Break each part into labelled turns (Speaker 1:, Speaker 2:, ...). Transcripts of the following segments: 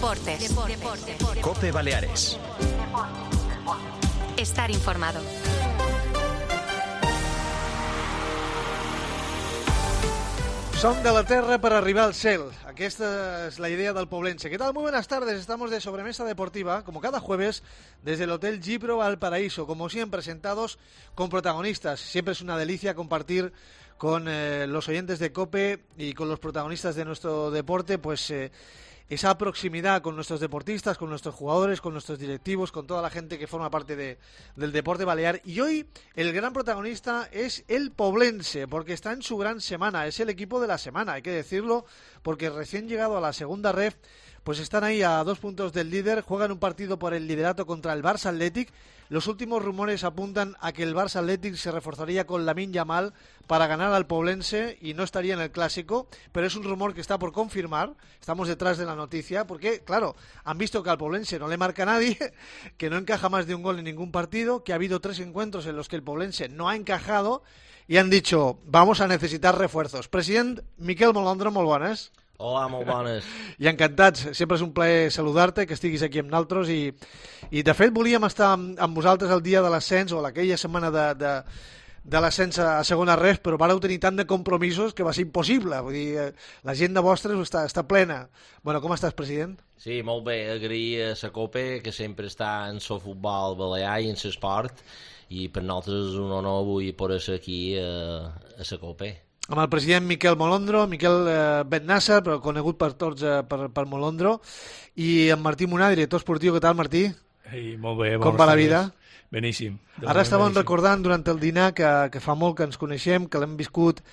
Speaker 1: Deportes.
Speaker 2: COPE Baleares.
Speaker 1: Estar informado.
Speaker 3: Son de la tierra para arribar al cel. Aquesta es la idea del poblense. ¿Qué tal? Muy buenas tardes. Estamos de sobremesa deportiva, como cada jueves, desde el Hotel Gipro Valparaíso. Como siempre, sentados con protagonistas. Siempre es una delicia compartir con los oyentes de COPE y con los protagonistas de nuestro deporte, pues esa proximidad con nuestros deportistas, con nuestros jugadores, con nuestros directivos, con toda la gente que forma parte del deporte balear. Y hoy el gran protagonista es el poblense, porque está en su gran semana, es el equipo de la semana, hay que decirlo, porque recién llegado a la segunda ref, pues están ahí a 2 puntos del líder, juegan un partido por el liderato contra el Barça Athletic. Los últimos rumores apuntan a que el Barça Athletic se reforzaría con Lamine Yamal para ganar al poblense y no estaría en el clásico, pero es un rumor que está por confirmar. Estamos detrás de la noticia porque, claro, han visto que al poblense no le marca nadie, que no encaja más de un gol en ningún partido, que ha habido 3 encuentros en los que el poblense no ha encajado y han dicho, vamos a necesitar refuerzos. President Miquel Molondro, molt bones.
Speaker 4: Hola, molt bones.
Speaker 3: I encantats, sempre és un plaer saludar-te, que estiguis aquí amb nosaltres i de fet volíem estar amb vosaltres el dia de l'ascens o aquella setmana de l'ascens a segona ref, però vareu tenir tant de compromisos que va ser impossible, vull dir, l'agenda vostra està plena. Bueno, com estàs, president?
Speaker 4: Sí, molt bé, agrair a la COPE, que sempre està en el futbol balear i en l'esport, i per nosaltres és un honor avui poder ser aquí a la COPE.
Speaker 3: Amb el president Miquel Molondro, Miquel Bennassa, però conegut per tots per Molondro, i en Martí Munar, director esportiu. Què tal, Martí?
Speaker 5: Ei, molt bé.
Speaker 3: Com va la vida?
Speaker 5: Beníssim.
Speaker 3: Ara estàvem recordant durant el dinar que fa molt que ens coneixem, que l'hem viscut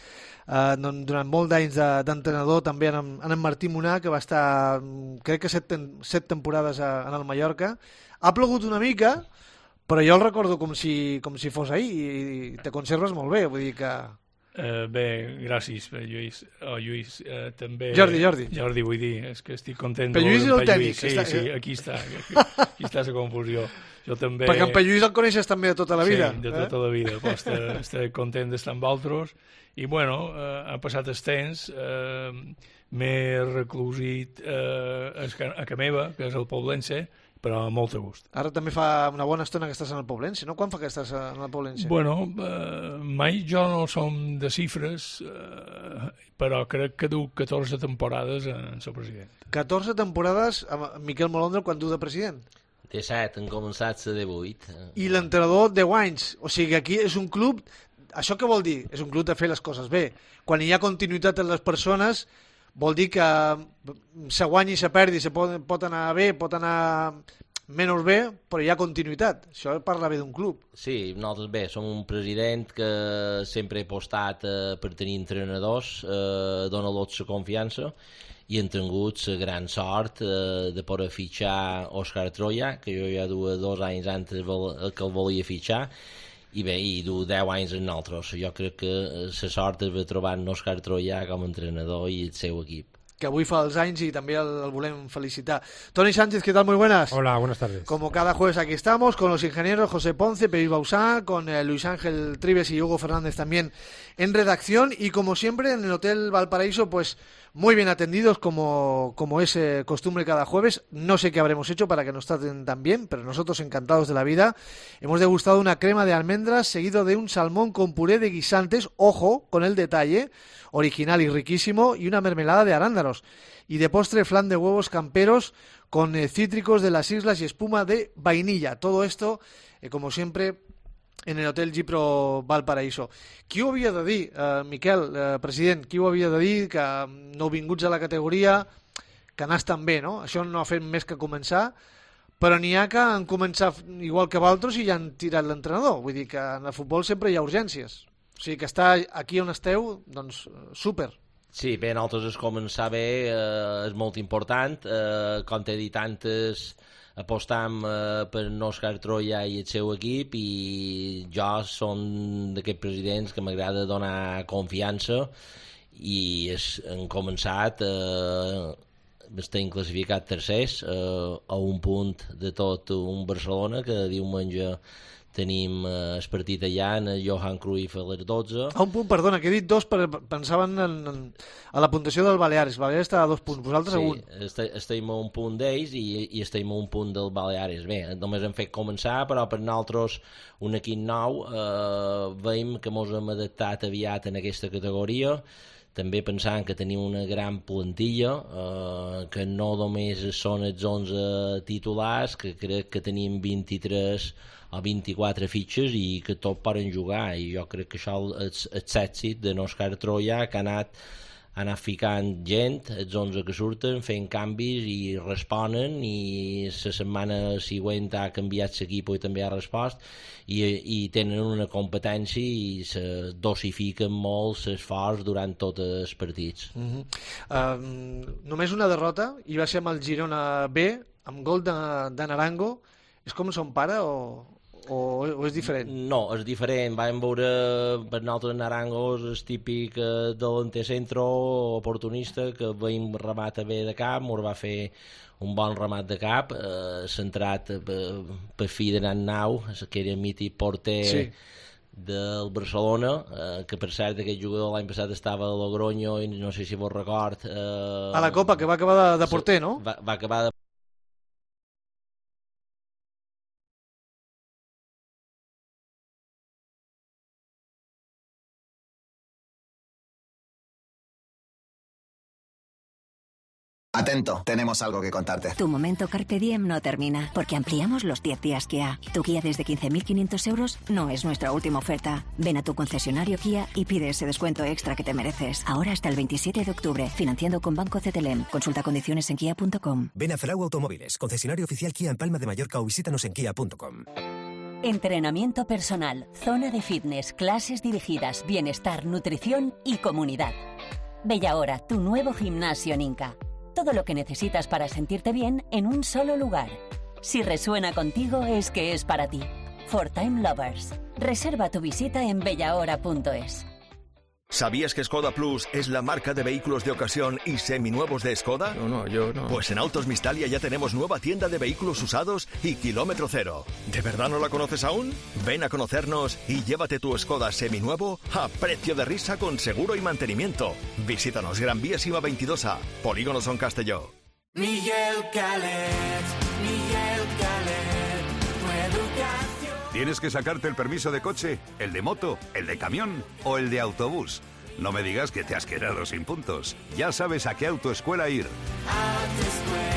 Speaker 3: durant molts d'anys d'entrenador, també en en Martí Munar, que va estar, crec que 7 temporades en el Mallorca. Ha plogut una mica, però jo el recordo com si fos ahir, i te conserves molt bé, vull dir que...
Speaker 5: Bé, gràcies, Lluís. Lluís, també...
Speaker 3: Jordi,
Speaker 5: vull dir, és que estic content.
Speaker 3: Però Lluís és el tècnic.
Speaker 5: Sí, aquí està la confusió. Jo també...
Speaker 3: Perquè en Lluís el coneixes també de tota la vida.
Speaker 5: Sí, de tota la vida. Estic content d'estar amb altres. I, bueno, ha passat el temps, m'he reclusit a ca meva, que és el poblense, però amb molt de gust.
Speaker 3: Ara també fa una bona estona que estàs en el poblense, no? Quan fa que estàs en el poblense?
Speaker 5: Bueno, mai jo no som de xifres, però crec que du 14 temporades en ser president.
Speaker 3: 14 temporades amb Miquel Molondro quan du de president?
Speaker 4: 17, han començat a 18.
Speaker 3: I l'entrenador 10 anys. O sigui, aquí és un club... Això què vol dir? És un club de fer les coses bé. Quan hi ha continuïtat en les persones, vol dir que se guanyi i se perdi, se pot anar bé, pot anar menys bé, però hi ha continuïtat. Això parla bé d'un club.
Speaker 4: Sí, nosaltres bé, som un president que sempre he apostat per tenir entrenadors, donar-los la confiança, i hem tingut la gran sort de poder fitxar Òscar Troia, que jo ja duia 2 anys antes que el volia fitxar, i bé, i du 10 anys en nosaltres. Jo crec que la sort és de trobar en Òscar Troia com a entrenador i el seu equip.
Speaker 3: Que avui fa els anys y también el volem felicitar. Toni Sánchez, ¿qué tal? Muy buenas.
Speaker 6: Hola, buenas tardes.
Speaker 3: Como cada jueves aquí estamos con los ingenieros José Ponce, Pepi Bausá, con Luis Ángel Tribes y Hugo Fernández también en redacción, y como siempre en el Hotel Valparaíso, pues muy bien atendidos como es costumbre cada jueves. No sé qué habremos hecho para que nos traten tan bien, pero nosotros encantados de la vida. Hemos degustado una crema de almendras seguido de un salmón con puré de guisantes, ojo con el detalle, original y riquísimo, y una mermelada de arándanos. Y de postre, flan de huevos camperos con cítricos de las islas y espuma de vainilla. Todo esto, como siempre, en el Hotel Gipro Valparaíso. Qui ho havia de dir, Miquel, president, qui ho havia de dir, que nouvinguts a la categoria, que anàs tan bé, no? Això no ha fet més que començar, però n'hi ha que han començat igual que d'altres i ja han tirat l'entrenador. Vull dir que en el futbol sempre hi ha urgències. O sigui que estar aquí on esteu, doncs, súper.
Speaker 4: Sí, bé, nosaltres es començar bé és molt important. Com t'he dit antes, apostam per Òscar Troia i el seu equip, i jo som d'aquests presidents que m'agrada donar confiança, i hem començat, estem classificat tercers, a un punt de tot un Barcelona que diumenge tenim el partit allà en el Johan Cruyff a les 12.
Speaker 3: A un punt, perdona, que he dit 2, pensaven a la puntuació del Baleares. Baleares està a 2 punts, vosaltres a 1.
Speaker 4: Sí, estem a un punt d'ells i estem a un punt del Baleares. Bé, només hem fet començar, però per nosaltres un equip nou veiem que ens hem adaptat aviat en aquesta categoria, també pensant que tenim una gran plantilla, que no només són els 11 titulars, que crec que tenim 23 o 24 fitxes i que tots poden jugar, i jo crec que això és l'èxit de Òscar Troia, que ha anat ficant gent, els 11 que surten, fent canvis i responen, i la setmana següent ha canviat l'equip i també ha respost, i tenen una competència i se dosifiquen molt l'esforç durant tots els partits.
Speaker 3: Només una derrota, i va ser amb el Girona B, amb gol de Naranjo. És com son pare o és diferent?
Speaker 4: No, és diferent. Vam veure per nosaltres Naranjo és típic delanter centro oportunista, que veiem remat bé de cap, ens va fer un bon remat de cap, centrat per fi de Nan Nau, que era mític porter del Barcelona, que per cert aquest jugador l'any passat estava a Logroño i no sé si vos record...
Speaker 3: A la Copa, que va acabar de porter, no?
Speaker 4: Va acabar de...
Speaker 1: Atento, tenemos algo que contarte.
Speaker 6: Tu momento Carpe Diem no termina, porque ampliamos los 10 días Kia. Tu Kia desde 15.500 euros no es nuestra última oferta. Ven a tu concesionario Kia y pide ese descuento extra que te mereces. Ahora hasta el 27 de octubre, financiando con Banco CTLM. Consulta condiciones en kia.com.
Speaker 7: Ven a Frau Automóviles, concesionario oficial Kia en Palma de Mallorca, o visítanos en kia.com.
Speaker 8: Entrenamiento personal, zona de fitness, clases dirigidas, bienestar, nutrición y comunidad. Bellahora, tu nuevo gimnasio en Inca. Todo lo que necesitas para sentirte bien en un solo lugar. Si resuena contigo, es que es para ti. For Time Lovers. Reserva tu visita en bellahora.es.
Speaker 2: ¿Sabías que Skoda Plus es la marca de vehículos de ocasión y seminuevos de Skoda?
Speaker 5: Yo no.
Speaker 2: Pues en Autos Mistalia ya tenemos nueva tienda de vehículos usados y kilómetro cero. ¿De verdad no la conoces aún? Ven a conocernos y llévate tu Skoda seminuevo a precio de risa con seguro y mantenimiento. Visítanos Gran Vía Sima 22A, Polígono Son Castelló.
Speaker 9: Miguel Calet, tu educación.
Speaker 10: ¿Tienes que sacarte el permiso de coche, el de moto, el de camión o el de autobús? No me digas que te has quedado sin puntos. Ya sabes a qué autoescuela ir.
Speaker 9: Autoescuela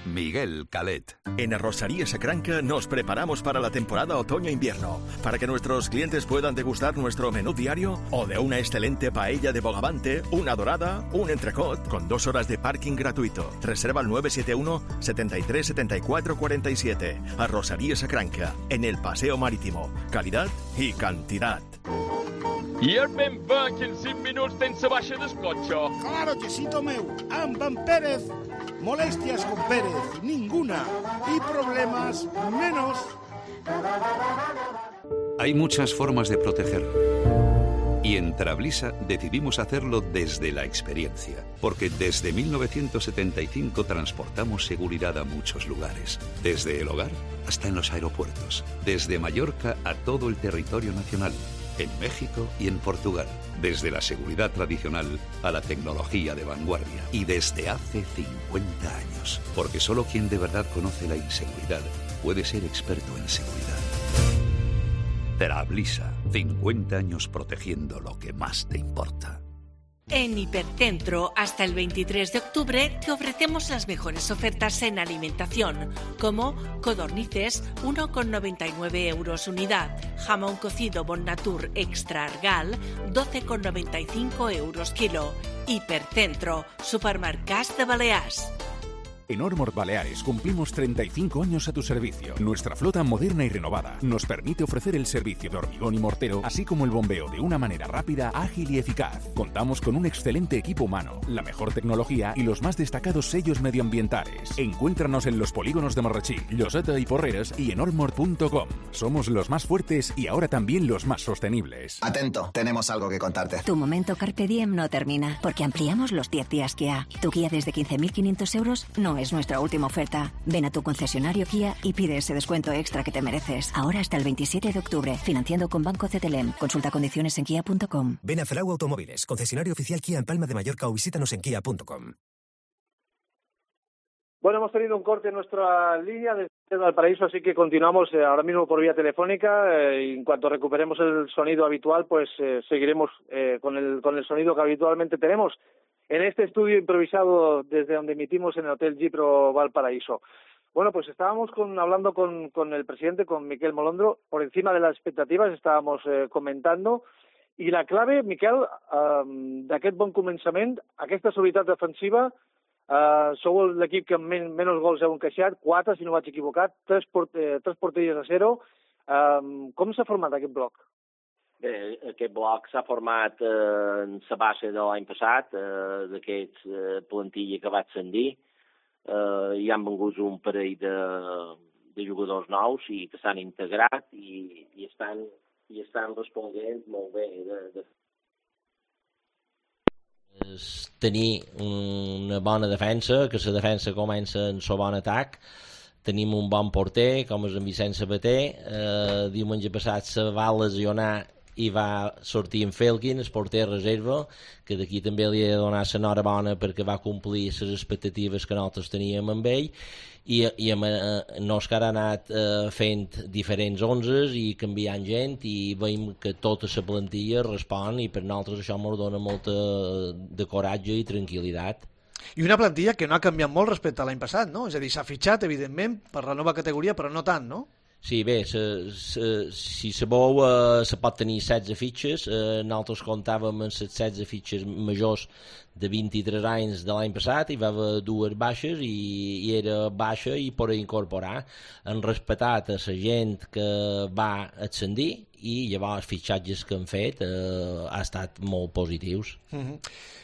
Speaker 10: Miguel Calet.
Speaker 2: En Arrocería Sacranca nos preparamos para la temporada otoño-invierno, para que nuestros clientes puedan degustar nuestro menú diario o de una excelente paella de bogavante, una dorada, un entrecot, con 2 horas de parking gratuito. Reserva al 971 73 74 47. Arrocería Sacranca, en el Paseo Marítimo. Calidad y cantidad.
Speaker 11: I el ben va que en 5 minuts tens la baixa del cotxe.
Speaker 12: Claro que sí, Tomeu. Amb en Pérez, molestias con Pérez, ninguna. Y problemas, menos.
Speaker 13: Hay muchas formas de proteger. Y en Trablisa decidimos hacerlo desde la experiencia, porque desde 1975 transportamos seguridad a muchos lugares, desde el hogar hasta en los aeropuertos, desde Mallorca a todo el territorio nacional, en México y en Portugal, desde la seguridad tradicional a la tecnología de vanguardia, y desde hace 50 años, porque solo quien de verdad conoce la inseguridad puede ser experto en seguridad. Trablisa, 50 años protegiendo lo que más te importa.
Speaker 14: En Hipercentro, hasta el 23 de octubre, te ofrecemos las mejores ofertas en alimentación, como codornices, 1,99 euros unidad, jamón cocido Bon Natur Extra Argal, 12,95 euros kilo. Hipercentro, supermercats de Balears.
Speaker 15: En Ormord Baleares cumplimos 35 años a tu servicio. Nuestra flota moderna y renovada nos permite ofrecer el servicio de hormigón y mortero, así como el bombeo de una manera rápida, ágil y eficaz. Contamos con un excelente equipo humano, la mejor tecnología y los más destacados sellos medioambientales. Encuéntranos en los polígonos de Marratxí, Lloseta y Porreres y en ormord.com. Somos los más fuertes y ahora también los más sostenibles.
Speaker 1: Atento, tenemos algo que contarte.
Speaker 6: Tu momento Carpe Diem no termina, porque ampliamos los 10 días Kia. Tu Kia desde 15.500 euros no no es nuestra última oferta. Ven a tu concesionario Kia y pide ese descuento extra que te mereces. Ahora hasta el 27 de octubre, financiando con Banco CTLM. Consulta condiciones en kia.com.
Speaker 7: Ven a Zaragoza Automóviles, concesionario oficial Kia en Palma de Mallorca o visítanos en kia.com.
Speaker 16: Bueno, hemos tenido un corte en nuestra línea desde Valparaíso, así que continuamos ahora mismo por vía telefónica. Y en cuanto recuperemos el sonido habitual, pues seguiremos con el sonido que habitualmente tenemos en este estudio improvisado desde donde emitimos en el Hotel Gipro Valparaíso. Bueno, pues estábamos hablando con el presidente, con Miquel Molondro, por encima de las expectatives, estábamos comentando. I la clave, Miquel, d'aquest bon començament, aquesta solitat defensiva, sou l'equip que menys gols heu encaixat, 4, si no vaig equivocat, 3 porteries a 0. Com s'ha format aquest bloc?
Speaker 4: Bé, aquest bloc s'ha format en la base de l'any passat, d'aquest plantilla que va ascendir. Hi han vengut un parell de jugadors nous i que s'han integrat i estan responent molt bé. Tenir una bona defensa, que la defensa comença en el bon atac. Tenim un bon porter, com és en Vicent Sabater. Diumenge passat se va lesionar i va sortir en Felkin, el porter reserva, que d'aquí també li he de donar l'enhorabona perquè va complir les expectatives que nosaltres teníem amb ell, i amb Òscar ha anat fent diferents 11 i canviant gent, i veiem que tota la plantilla respon, i per nosaltres això ens dona molta de coratge i tranquil·litat.
Speaker 3: I una plantilla que no ha canviat molt respecte a l'any passat, no? És a dir, s'ha fitxat, evidentment, per la nova categoria, però no tant, no?
Speaker 4: Sí, bé, si se vol, se pot tenir 16 fitxes. Nosaltres comptàvem amb les 16 fitxes majors de 23 anys de l'any passat, hi va haver 2 baixes i era baixa i per incorporar. Han respectat a la gent que va ascendir i llavors els fitxatges que han fet han estat molt positius.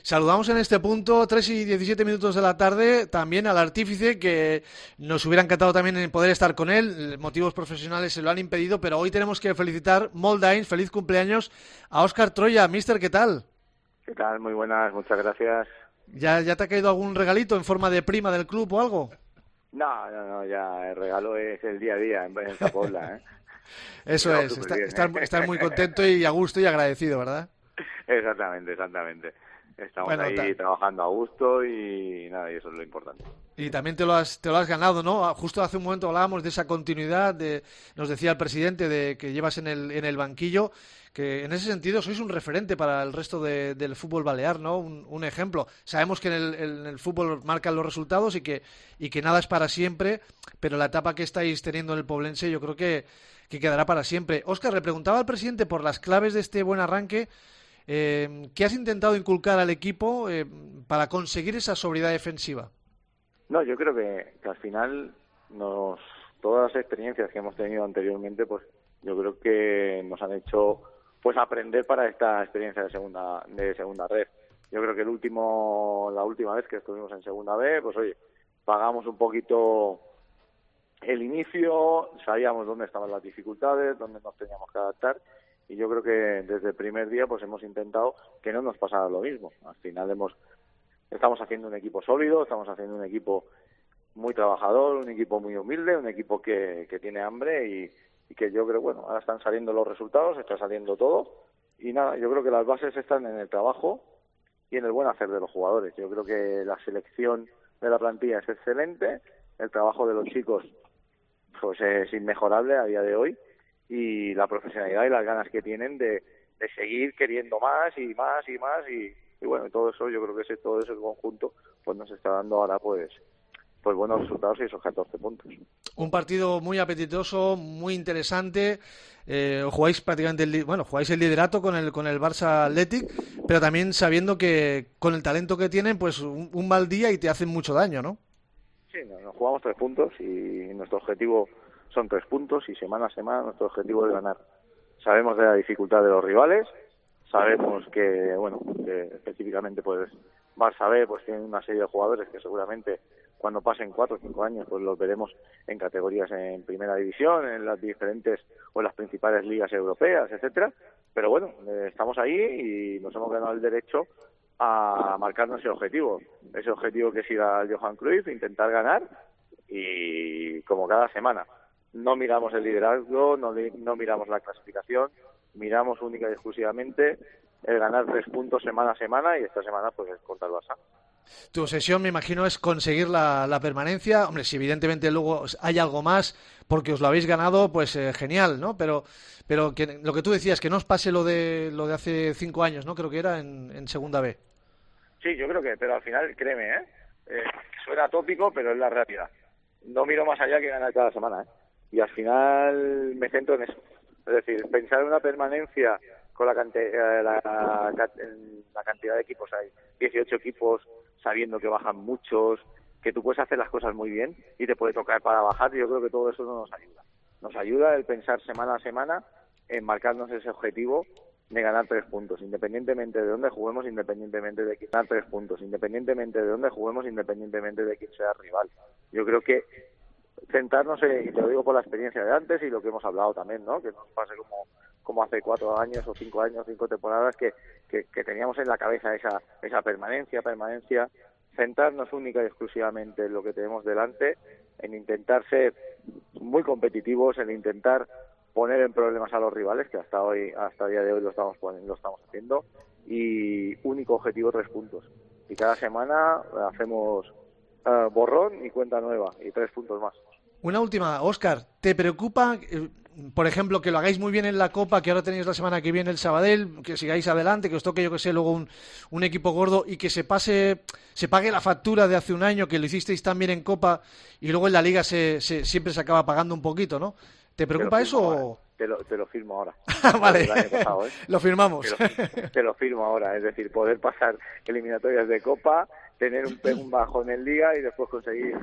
Speaker 3: Saludamos en este punto, 3 y 17 minutos de la tarde, también al artífice, que nos hubiera encantado también en poder estar con él. Motivos profesionales se lo han impedido, pero hoy tenemos que felicitar, Moldain, feliz cumpleaños a Óscar Troya. Mister, ¿qué tal?
Speaker 17: ¿Qué tal? Muy buenas, muchas gracias.
Speaker 3: ¿Ya te ha caído algún regalito en forma de prima del club o algo?
Speaker 17: No, ya el regalo es el día a día en Zapobla, ¿eh?
Speaker 3: Eso no, es, estar muy contento y a gusto y agradecido, ¿verdad?
Speaker 17: Exactamente. Estamos ahí trabajando a gusto y nada, y eso es lo importante.
Speaker 3: Y también te lo has ganado, ¿no? Justo hace un momento hablábamos de esa continuidad, nos decía el presidente, de que llevas en el banquillo, que en ese sentido sois un referente para el resto del fútbol balear, ¿no? Un ejemplo. Sabemos que en el fútbol marcan los resultados y que nada es para siempre, pero la etapa que estáis teniendo en el Poblense yo creo que quedará para siempre. Óscar, le preguntaba al presidente por las claves de este buen arranque. ¿Qué has intentado inculcar al equipo para conseguir esa sobriedad defensiva?
Speaker 17: No, yo creo que al final todas las experiencias que hemos tenido anteriormente, pues yo creo que nos han hecho pues aprender para esta experiencia de segunda red. Yo creo que la última vez que estuvimos en segunda B, pues oye, pagamos un poquito el inicio, sabíamos dónde estaban las dificultades, dónde nos teníamos que adaptar. Y yo creo que desde el primer día pues hemos intentado que no nos pasara lo mismo. Al final estamos haciendo un equipo sólido, estamos haciendo un equipo muy trabajador, un equipo muy humilde, un equipo que tiene hambre y que yo creo, bueno, ahora están saliendo los resultados, está saliendo todo. Y nada, yo creo que las bases están en el trabajo y en el buen hacer de los jugadores. Yo creo que la selección de la plantilla es excelente, el trabajo de los chicos pues es inmejorable a día de hoy, y la profesionalidad y las ganas que tienen de seguir queriendo más y bueno, todo eso, yo creo que todo ese conjunto pues nos está dando ahora pues buenos resultados y esos 14 puntos.
Speaker 3: Un partido muy apetitoso, muy interesante. Jugáis prácticamente jugáis el liderato con el Barça Athletic, pero también sabiendo que con el talento que tienen, pues un mal día y te hacen mucho daño, ¿no?
Speaker 17: Sí, nos jugamos 3 puntos y nuestro objetivo son 3 puntos y semana a semana nuestro objetivo es ganar. Sabemos de la dificultad de los rivales, sabemos que específicamente pues Barça B pues tiene una serie de jugadores que seguramente cuando pasen 4 o 5 años pues los veremos en categorías en primera división, en las diferentes o en las principales ligas europeas, etcétera. Pero bueno, estamos ahí y nos hemos ganado el derecho a marcarnos ese objetivo que es ir al Johan Cruyff, intentar ganar, y como cada semana. No miramos el liderazgo, no miramos la clasificación, miramos única y exclusivamente el ganar 3 puntos semana a semana, y esta semana pues es contra el Barça.
Speaker 3: Tu obsesión, me imagino, es conseguir la permanencia. Hombre, si evidentemente luego hay algo más porque os lo habéis ganado, pues genial, ¿no? Pero que, lo que tú decías, que no os pase lo de hace 5 años, ¿no? Creo que era en Segunda B. Sí,
Speaker 17: yo creo que, pero al final, créeme, suena tópico, pero es la realidad. No miro más allá que ganar cada semana, y al final me centro en eso. Es decir, pensar en una permanencia con la cantidad de equipos, hay 18 equipos, sabiendo que bajan muchos, que tú puedes hacer las cosas muy bien y te puede tocar para bajar. Yo creo que todo eso no nos ayuda. Nos ayuda el pensar semana a semana en marcarnos ese objetivo de ganar 3 puntos, independientemente de dónde juguemos, independientemente de quién sea el rival. Yo creo que centrarnos y te lo digo por la experiencia de antes y lo que hemos hablado también, ¿no? Que nos pase como hace 4 años o 5 años, 5 temporadas, que teníamos en la cabeza esa permanencia, centrarnos única y exclusivamente en lo que tenemos delante, en intentar ser muy competitivos, en intentar poner en problemas a los rivales, que hasta el día de hoy lo estamos haciendo, y único objetivo 3 puntos. Y cada semana hacemos borrón y cuenta nueva, y 3 puntos más.
Speaker 3: Una última, Óscar, ¿te preocupa, por ejemplo, que lo hagáis muy bien en la Copa, que ahora tenéis la semana que viene el Sabadell, que sigáis adelante, que os toque, yo que sé, luego un equipo gordo y que se pague la factura de hace un año, que lo hicisteis tan bien en Copa y luego en la Liga siempre se acaba pagando un poquito, ¿no? ¿Te preocupa eso?
Speaker 17: Te lo firmo ahora.
Speaker 3: Vale,
Speaker 17: pasado,
Speaker 3: lo firmamos.
Speaker 17: Te lo firmo ahora, es decir, poder pasar eliminatorias de Copa, tener un bajón en Liga y después conseguir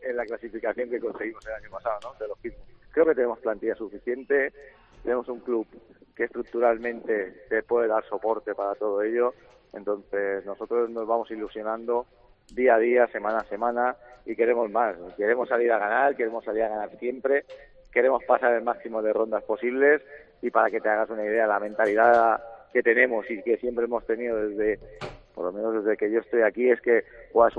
Speaker 17: en la clasificación que conseguimos el año pasado, ¿no? Te lo firmo. Creo que tenemos plantilla suficiente, tenemos un club que estructuralmente te puede dar soporte para todo ello, entonces nosotros nos vamos ilusionando día a día, semana a semana, y queremos más, queremos salir a ganar siempre, queremos pasar el máximo de rondas posibles, y para que te hagas una idea, la mentalidad que tenemos y que siempre hemos tenido por lo menos desde que yo estoy aquí, es que juegas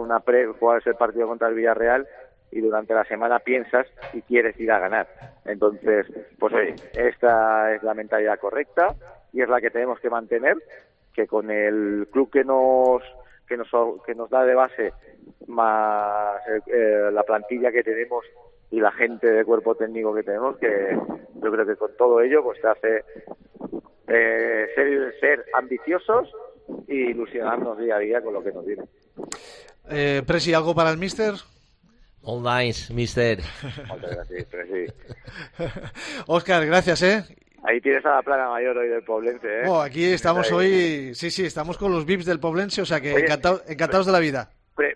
Speaker 17: el partido contra el Villarreal y durante la semana piensas y quieres ir a ganar. Entonces, pues esta es la mentalidad correcta y es la que tenemos que mantener, que con el club que nos da de base, más la plantilla que tenemos y la gente de cuerpo técnico que tenemos, que yo creo que con todo ello pues te hace ser ambiciosos y ilusionarnos día a día con lo que nos viene.
Speaker 3: Presi, ¿algo para el míster?
Speaker 4: Online, mister.
Speaker 17: Muchas gracias, Presi.
Speaker 3: Óscar, gracias,
Speaker 17: Ahí tienes a la plaga mayor hoy del Poblense,
Speaker 3: aquí estamos hoy, sí, estamos con los VIPs del Poblense, o sea que encantados de la vida.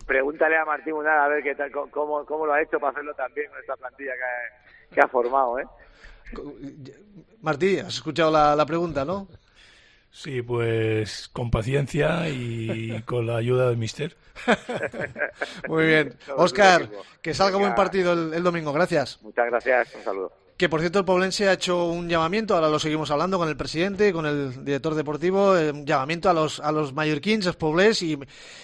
Speaker 17: Pregúntale a Martín Munal a ver qué tal, cómo lo ha hecho para hacerlo también con esta plantilla que ha formado,
Speaker 3: Martí, has escuchado la pregunta, ¿no?
Speaker 5: Sí, pues con paciencia y con la ayuda del míster.
Speaker 3: Muy bien. Óscar, que salga buen partido el domingo. Gracias.
Speaker 17: Muchas gracias. Un saludo.
Speaker 3: Que, por cierto, el Poblense ha hecho un llamamiento, ahora lo seguimos hablando con el presidente, con el director deportivo, un llamamiento a los mallorquins, els poblers i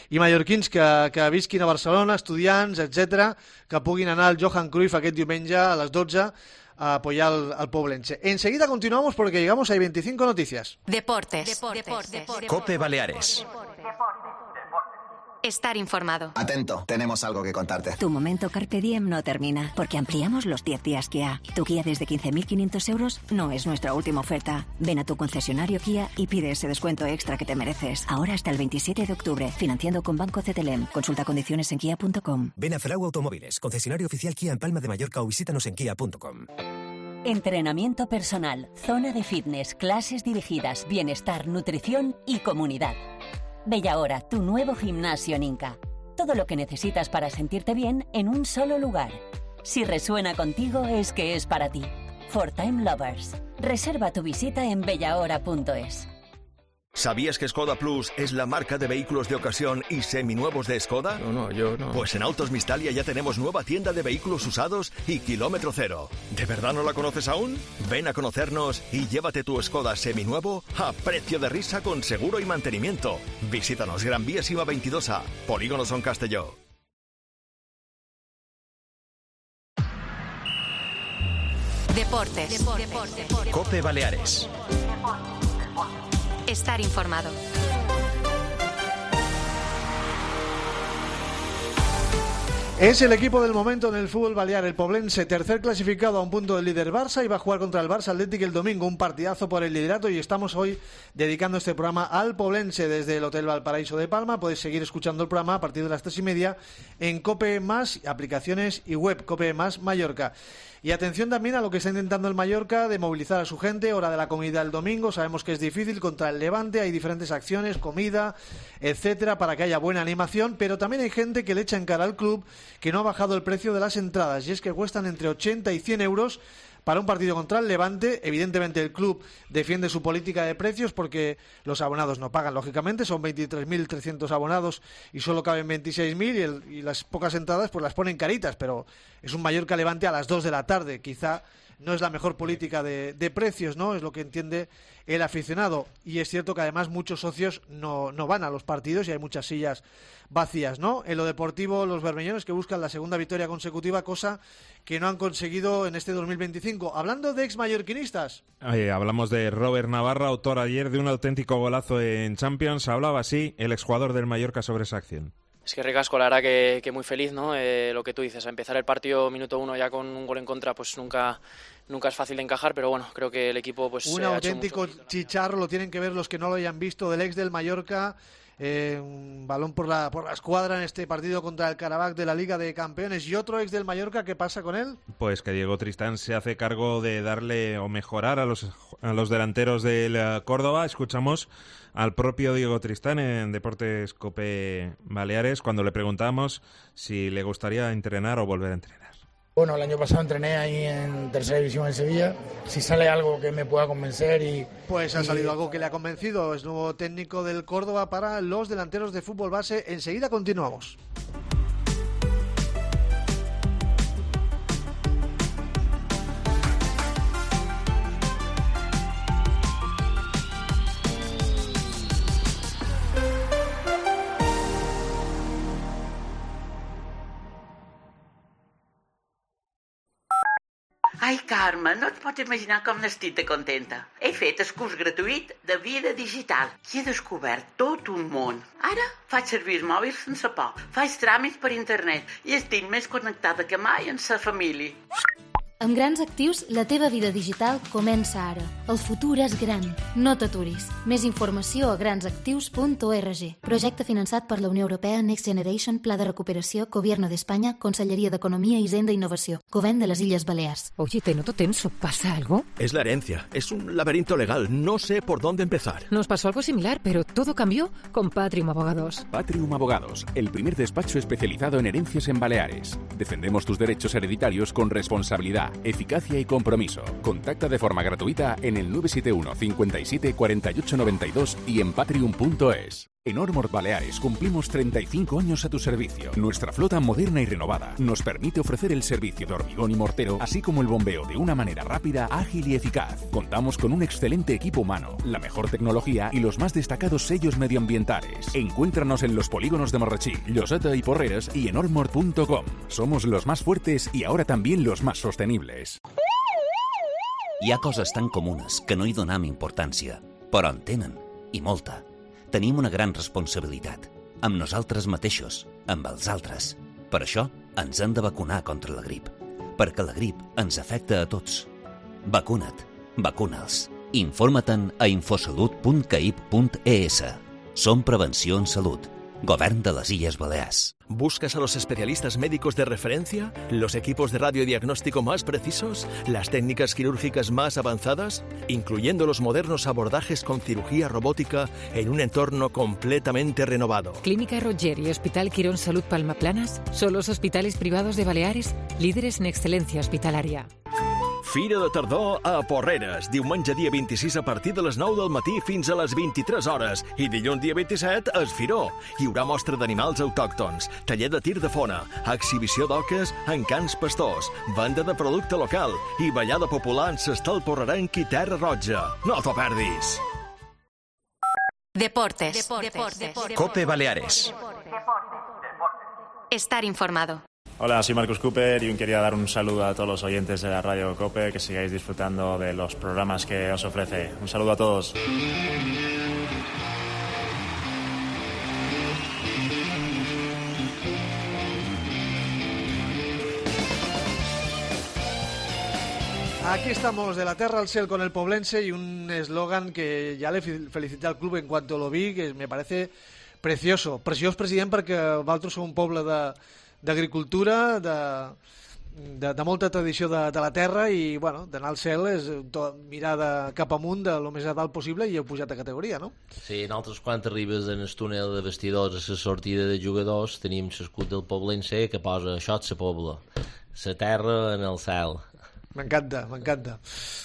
Speaker 3: mallorquins que visquin a Barcelona, estudiants, etc, que puguin anar al Johan Cruyff aquest diumenge a les 12 a apoyar al Poblense. Enseguida continuamos porque llegamos a 25 noticias.
Speaker 18: Deportes.
Speaker 1: COPE Baleares.
Speaker 18: Estar informado.
Speaker 1: Atento, tenemos algo que contarte.
Speaker 6: Tu momento Carpe Diem no termina, porque ampliamos los 10 días Kia. Tu Kia desde 15.500 euros no es nuestra última oferta. Ven a tu concesionario Kia y pide ese descuento extra que te mereces. Ahora hasta el 27 de octubre, financiando con Banco CTLM. Consulta condiciones en kia.com.
Speaker 7: Ven a Frau Automóviles, concesionario oficial Kia en Palma de Mallorca, o visítanos en kia.com.
Speaker 8: Entrenamiento personal, zona de fitness, clases dirigidas, bienestar, nutrición y comunidad. Bellahora, tu nuevo gimnasio en Inca. Todo lo que necesitas para sentirte bien en un solo lugar. Si resuena contigo, es que es para ti. For Time Lovers. Reserva tu visita en bellahora.es.
Speaker 2: ¿Sabías que Skoda Plus es la marca de vehículos de ocasión y seminuevos de Skoda?
Speaker 18: No, yo no.
Speaker 2: Pues en Autos Mistalia ya tenemos nueva tienda de vehículos usados y kilómetro cero. ¿De verdad no la conoces aún? Ven a conocernos y llévate tu Skoda seminuevo a precio de risa con seguro y mantenimiento. Visítanos Gran Vía Sima 22A, Polígono Son Castelló.
Speaker 19: Deportes.
Speaker 1: Cope Baleares.
Speaker 19: Estar informado.
Speaker 3: Es el equipo del momento en el fútbol balear, el Poblense, tercer clasificado a un punto del líder Barça, y va a jugar contra el Barça Athletic el domingo, un partidazo por el liderato, y estamos hoy dedicando este programa al Poblense desde el Hotel Valparaíso de Palma. Podéis seguir escuchando el programa a partir de las 3:30 en Cope Más, aplicaciones y web, Cope Más Mallorca. Y atención también a lo que está intentando el Mallorca de movilizar a su gente, hora de la comida el domingo. Sabemos que es difícil contra el Levante, hay diferentes acciones, comida, etcétera, para que haya buena animación, pero también hay gente que le echa en cara al club que no ha bajado el precio de las entradas, y es que cuestan entre 80 y 100 euros para un partido contra el Levante. Evidentemente el club defiende su política de precios porque los abonados no pagan, lógicamente, son 23.300 abonados y solo caben 26.000, y las pocas entradas pues las ponen caritas, pero es un Mallorca Levante a las 2 de la tarde, quizá no es la mejor política de precios, ¿no? Es lo que entiende el aficionado, y es cierto que además muchos socios no van a los partidos y hay muchas sillas vacías, ¿no? En lo deportivo, los bermeñones que buscan la segunda victoria consecutiva, cosa que no han conseguido en este 2025. Hablando de ex-mallorquinistas.
Speaker 20: Hablamos de Robert Navarra, autor ayer de un auténtico golazo en Champions. Hablaba así el exjugador del Mallorca sobre esa acción.
Speaker 21: Es que ricasco, la verdad que muy feliz, ¿no? Lo que tú dices, a empezar el partido minuto 1 ya con un gol en contra, pues nunca es fácil de encajar, pero bueno, creo que el equipo pues
Speaker 3: un auténtico chicharro, lo tienen que ver los que no lo hayan visto, del ex del Mallorca. Un balón por la escuadra en este partido contra el Karabakh de la Liga de Campeones. Y otro ex del Mallorca, ¿qué pasa con él?
Speaker 20: Pues que Diego Tristán se hace cargo de darle o mejorar a los delanteros del Córdoba. Escuchamos al propio Diego Tristán en Deportes Cope Baleares cuando le preguntamos si le gustaría entrenar o volver a entrenar.
Speaker 22: Bueno, el año pasado entrené ahí en tercera división en Sevilla. Si sale algo que me pueda convencer y...
Speaker 3: Pues ha salido algo que le ha convencido. Es nuevo técnico del Córdoba para los delanteros de fútbol base. Enseguida continuamos.
Speaker 23: Ai, Carme, no et pots imaginar com n'estic de contenta. He fet el curs gratuït de vida digital i he descobert tot un món. Ara faig servir el mòbil sense por, faig tràmits per internet i estic més connectada que mai amb la família.
Speaker 24: Amb Grans Actius, la teva vida digital comença ara. El futur és gran. No t'aturis. Més informació a gransactius.org. Projecte finançat per la Unió Europea Next Generation, Pla de Recuperació, Gobierno de España, Consellería de Economía, Hisenda e Innovació, Govern de las Illes Balears.
Speaker 25: Oye, te noto tenso. ¿Pasa algo?
Speaker 2: Es la herencia. Es un laberinto legal. No sé por dónde empezar.
Speaker 25: Nos pasó algo similar, pero todo cambió con Patrium Abogados.
Speaker 15: Patrium Abogados, el primer despacho especializado en herencias en Baleares. Defendemos tus derechos hereditarios con responsabilidad, eficacia y compromiso. Contacta de forma gratuita en el 971 57 48 92 y en patrium.es. En Ormord Baleares cumplimos 35 años a tu servicio. Nuestra flota moderna y renovada nos permite ofrecer el servicio de hormigón y mortero, así como el bombeo de una manera rápida, ágil y eficaz. Contamos con un excelente equipo humano, la mejor tecnología y los más destacados sellos medioambientales. Encuéntranos en los polígonos de Marratxí, Lloseta y Porreres y en ormord.com. Somos los más fuertes y ahora también los más sostenibles.
Speaker 26: Hi ha coses tan comunes que no hi donam importància, però en tenen, i molta. Tenim una gran responsabilitat, amb nosaltres mateixos, amb els altres. Per això ens hem de vacunar contra la grip, perquè la grip ens afecta a tots. Vacuna't, vacuna'ls. Informa-te'n a infosalut.caip.es. Som Prevenció en Salut. Govern de las Illes Balears.
Speaker 2: ¿Buscas a los especialistas médicos de referencia? ¿Los equipos de radiodiagnóstico más precisos? ¿Las técnicas quirúrgicas más avanzadas? Incluyendo los modernos abordajes con cirugía robótica en un entorno completamente renovado.
Speaker 25: Clínica Roger y Hospital Quirón Salud Palma Planas son los hospitales privados de Baleares líderes en excelencia hospitalaria.
Speaker 2: Fira de tardor a Porreres, diumenge dia 26 a partir de les 9 del matí fins a les 23 hores i dilluns dia 27 a Esfiró. Hi haurà mostra d'animals autòctons, taller de tir de fona, exhibició d'oques en cans pastors, venda de producte local i ballada popular en s'estal porrerenc i Terra Roja. No t'ho perdis!
Speaker 9: Deportes.
Speaker 1: COPE Baleares.
Speaker 9: Estar informado.
Speaker 10: Hola, soy Marcus Cooper y quería dar un saludo a todos los oyentes de la radio COPE, que sigáis disfrutando de los programas que os ofrece. Un saludo a todos.
Speaker 3: Aquí estamos, de la tierra al cielo con el Poblense, y un eslogan que ya le felicité al club en cuanto lo vi, que me parece precioso. Preciós, president, perquè vosaltres sou un poble d'agricultura, de molta tradició de la terra, i bueno, d'anar al cel és mirar cap amunt de lo més a dalt possible i heu pujat de categoria, no?
Speaker 4: Sí, nosaltres quan arribes en el túnel de vestidors a la sortida de jugadors tenim l'escut del Poblense que posa això és la pobla, la terra en el cel.
Speaker 3: Me encanta, me encanta.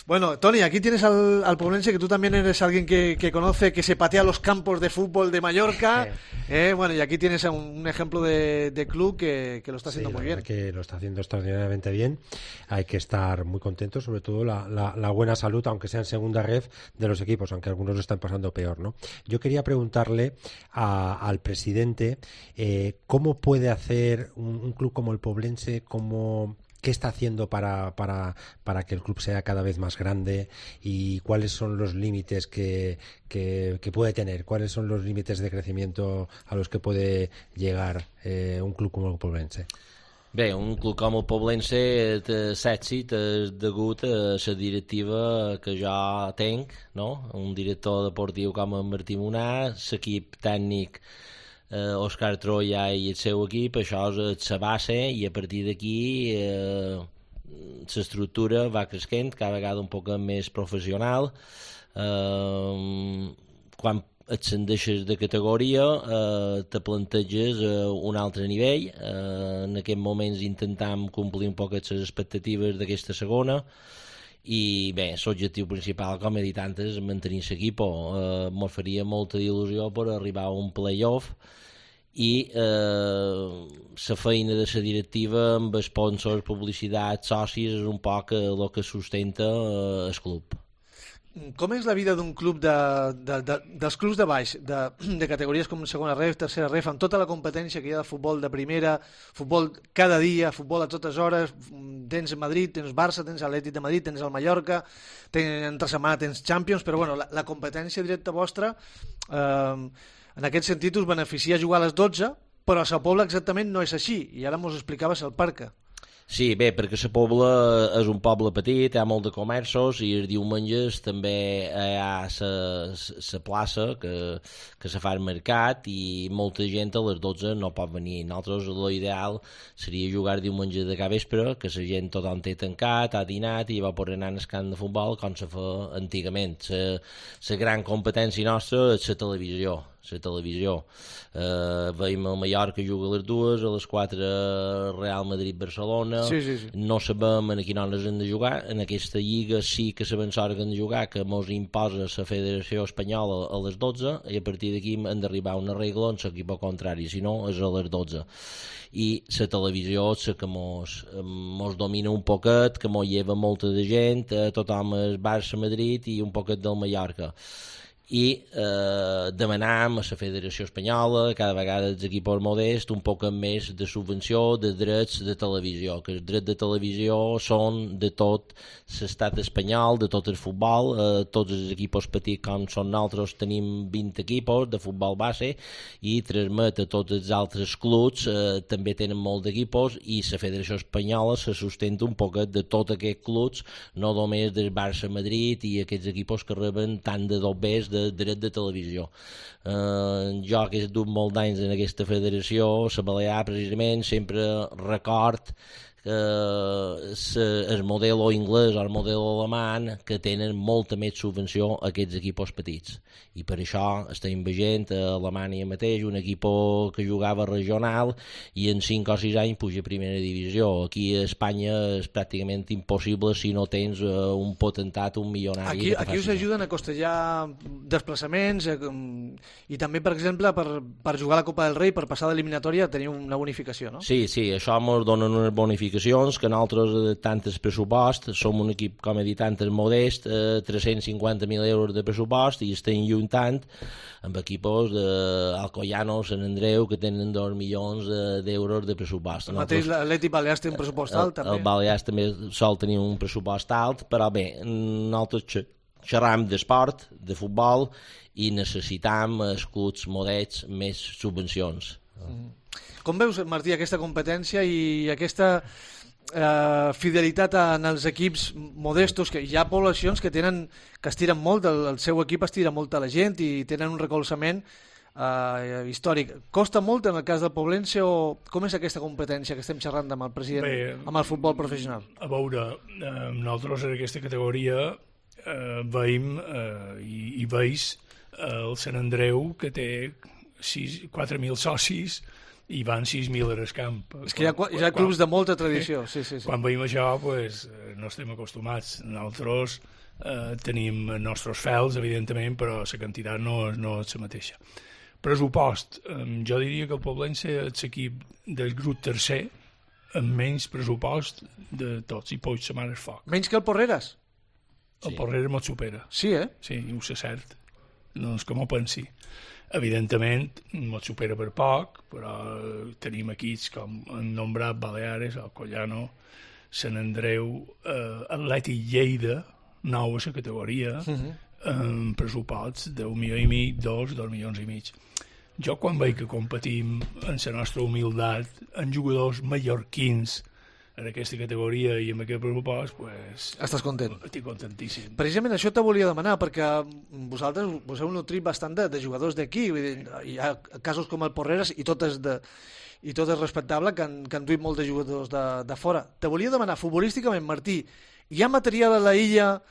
Speaker 3: Bueno, Toni, aquí tienes al Poblense, que tú también eres alguien que conoce, que se patea los campos de fútbol de Mallorca. Bueno, y aquí tienes un ejemplo de club que lo está haciendo muy bien.
Speaker 11: Que lo está haciendo extraordinariamente bien. Hay que estar muy contentos, sobre todo la buena salud, aunque sea en segunda ref, de los equipos, aunque algunos lo están pasando peor, ¿no? Yo quería preguntarle al presidente cómo puede hacer un club como el Poblense, ¿qué está haciendo para que el club sea cada vez más grande y cuáles son los límites que puede tener? ¿Cuáles son los límites de crecimiento a los que puede llegar un club como el Poblense?
Speaker 4: Bé, un club com el Poblense té l'èxit degut a la directiva que jo tenc, no? Un director deportiu com en Martí Monà, l'equip tècnic Òscar Troia i el seu equip, això és la base, i a partir d'aquí l'estructura va creixent, cada vegada un poc més professional. Quan ascendeixes de categoria te planteges un altre nivell. En aquests moments intentam complir un poc les expectatives d'aquesta segona, i bé, l'objectiu principal, com he dit antes, és mantenir l'equip. Ens faria molta il·lusió per arribar a un play-off, i la feina de la directiva amb sponsors, publicitat, socis, és un poc el que sustenta el club.
Speaker 3: Com és la vida d'un club dels clubs de baix, de categories com segona ref, tercera ref, amb tota la competència que hi ha de futbol de primera, futbol cada dia, futbol a totes hores, tens Madrid, tens Barça, tens Atlètic de Madrid, tens el Mallorca, entre setmana tens Champions, però bueno, la competència directa vostra, en aquest sentit us beneficia jugar a les 12, però a la Pobla exactament no és així, i ara mos explicaves el Parca.
Speaker 4: Sí, bé, perquè la Pobla és un poble petit, hi ha molt de comerços, i els diumenges també hi ha la plaça que se fa al mercat, i molta gent a les 12 no pot venir. Nosaltres l'ideal seria jugar diumenge de capvespre, que la gent tothom té tancat, ha dinat i va poder anar al camp de futbol com se fa antigament. La gran competència nostra és la televisió. Veiem el Mallorca juga a les 2, a les 4 Real Madrid-Barcelona.
Speaker 3: Sí.
Speaker 4: No sabem a quina hora hem de jugar. En aquesta lliga sí que sabem l'hora que hem de jugar, que ens imposa la Federació Espanyola a les 12, i a partir d'aquí hem d'arribar a una regla en l'equip contrari, si no és a les 12. I la televisió és la que mos domina un poquet, que mos lleva molta de gent, tothom és Barça-Madrid i un poquet del Mallorca. I demanam a la Federació Espanyola, cada vegada els equips modests, un poc més de subvenció de drets de televisió, que els drets de televisió són de tot l'estat espanyol, de tot el futbol. Tots els equips petits com són nosaltres tenim 20 equips de futbol base, i transmet a tots els altres clubs, també tenen molt d'equips, i la Federació Espanyola se sustenta un poc de tots aquests clubs, no només del Barça-Madrid i aquests equips que reben tant de dobbers de dret de televisió. Jo, que he dut molt d'anys en aquesta federació, la Balear, precisament, sempre record el model anglès o el model alemany, que tenen molta més subvenció a aquests equips petits. I per això estem veient a Alemanya mateix un equip que jugava regional i en 5 o 6 anys puja a primera divisió. Aquí a Espanya és pràcticament impossible si no tens un potentat, un milionari.
Speaker 3: Aquí us ajuden a costellar desplaçaments i també, per exemple, per jugar a la Copa del Rei, per passar d'eliminatòria, teniu una bonificació, no?
Speaker 4: Sí, això ens donen unes bonificacions que nosaltres, tant el pressupost, som un equip, com he dit antes, modest, 350.000 euros de pressupost i estem lluitant amb equips d'Alcoyano, Sant Andreu, que tenen 2 milions d'euros de pressupost.
Speaker 3: El mateix l'Atlètic Balears té un pressupost alt, també.
Speaker 4: El Balears també sol tenir un pressupost alt, però bé, nosaltres xerram d'esport, de futbol, i necessitam escuts modests, més subvencions.
Speaker 3: Com veus, Martí, aquesta competència i aquesta fidelitat en els equips modestos, que hi ha poblacions que estiren molt, el seu equip estira molt a la gent i tenen un recolzament històric. Costa molt en el cas del Poblense, o com és aquesta competència que estem xerrant amb el president, amb el futbol professional?
Speaker 5: A veure, nosaltres en aquesta categoria veiem i veus el Sant Andreu, que té 4.000 socis i van 6.000 al camp.
Speaker 3: És que hi ha clubs de molta tradició. Sí.
Speaker 5: Quan veiem això, no estem acostumats. Nosaltres tenim els nostres fels, evidentment, però la quantitat no és la mateixa. Pressupost. Jo diria que el Poblense és l'equip del grup tercer amb menys pressupost de tots, i pots la mà al foc.
Speaker 3: Menys que el Porreres?
Speaker 5: El Porreres m'ho supera.
Speaker 3: Sí, eh?
Speaker 5: Sí, ho sé cert. No és com ho pensi. Evidentment, ens supera per poc, però tenim equips com han nombrat Baleares, Alcoyano, Sant Andreu, Atlètic Lleida, nou a la categoria, amb pressuposts d'1,5 milions, 2 milions i mig. Jo, quan veig que competim en la nostra humilitat, en jugadors mallorquins, en aquesta categoria i amb aquest pressupost,
Speaker 3: estàs content?
Speaker 5: Estic contentíssim.
Speaker 3: Precisament això te volia demanar, perquè vosaltres us heu nutrit bastant de jugadors d'aquí. Hi ha casos com el Porreres i tot és respectable, que han duit molts de jugadors de fora. Te volia demanar, futbolísticament, Martí, hi ha material a la illa,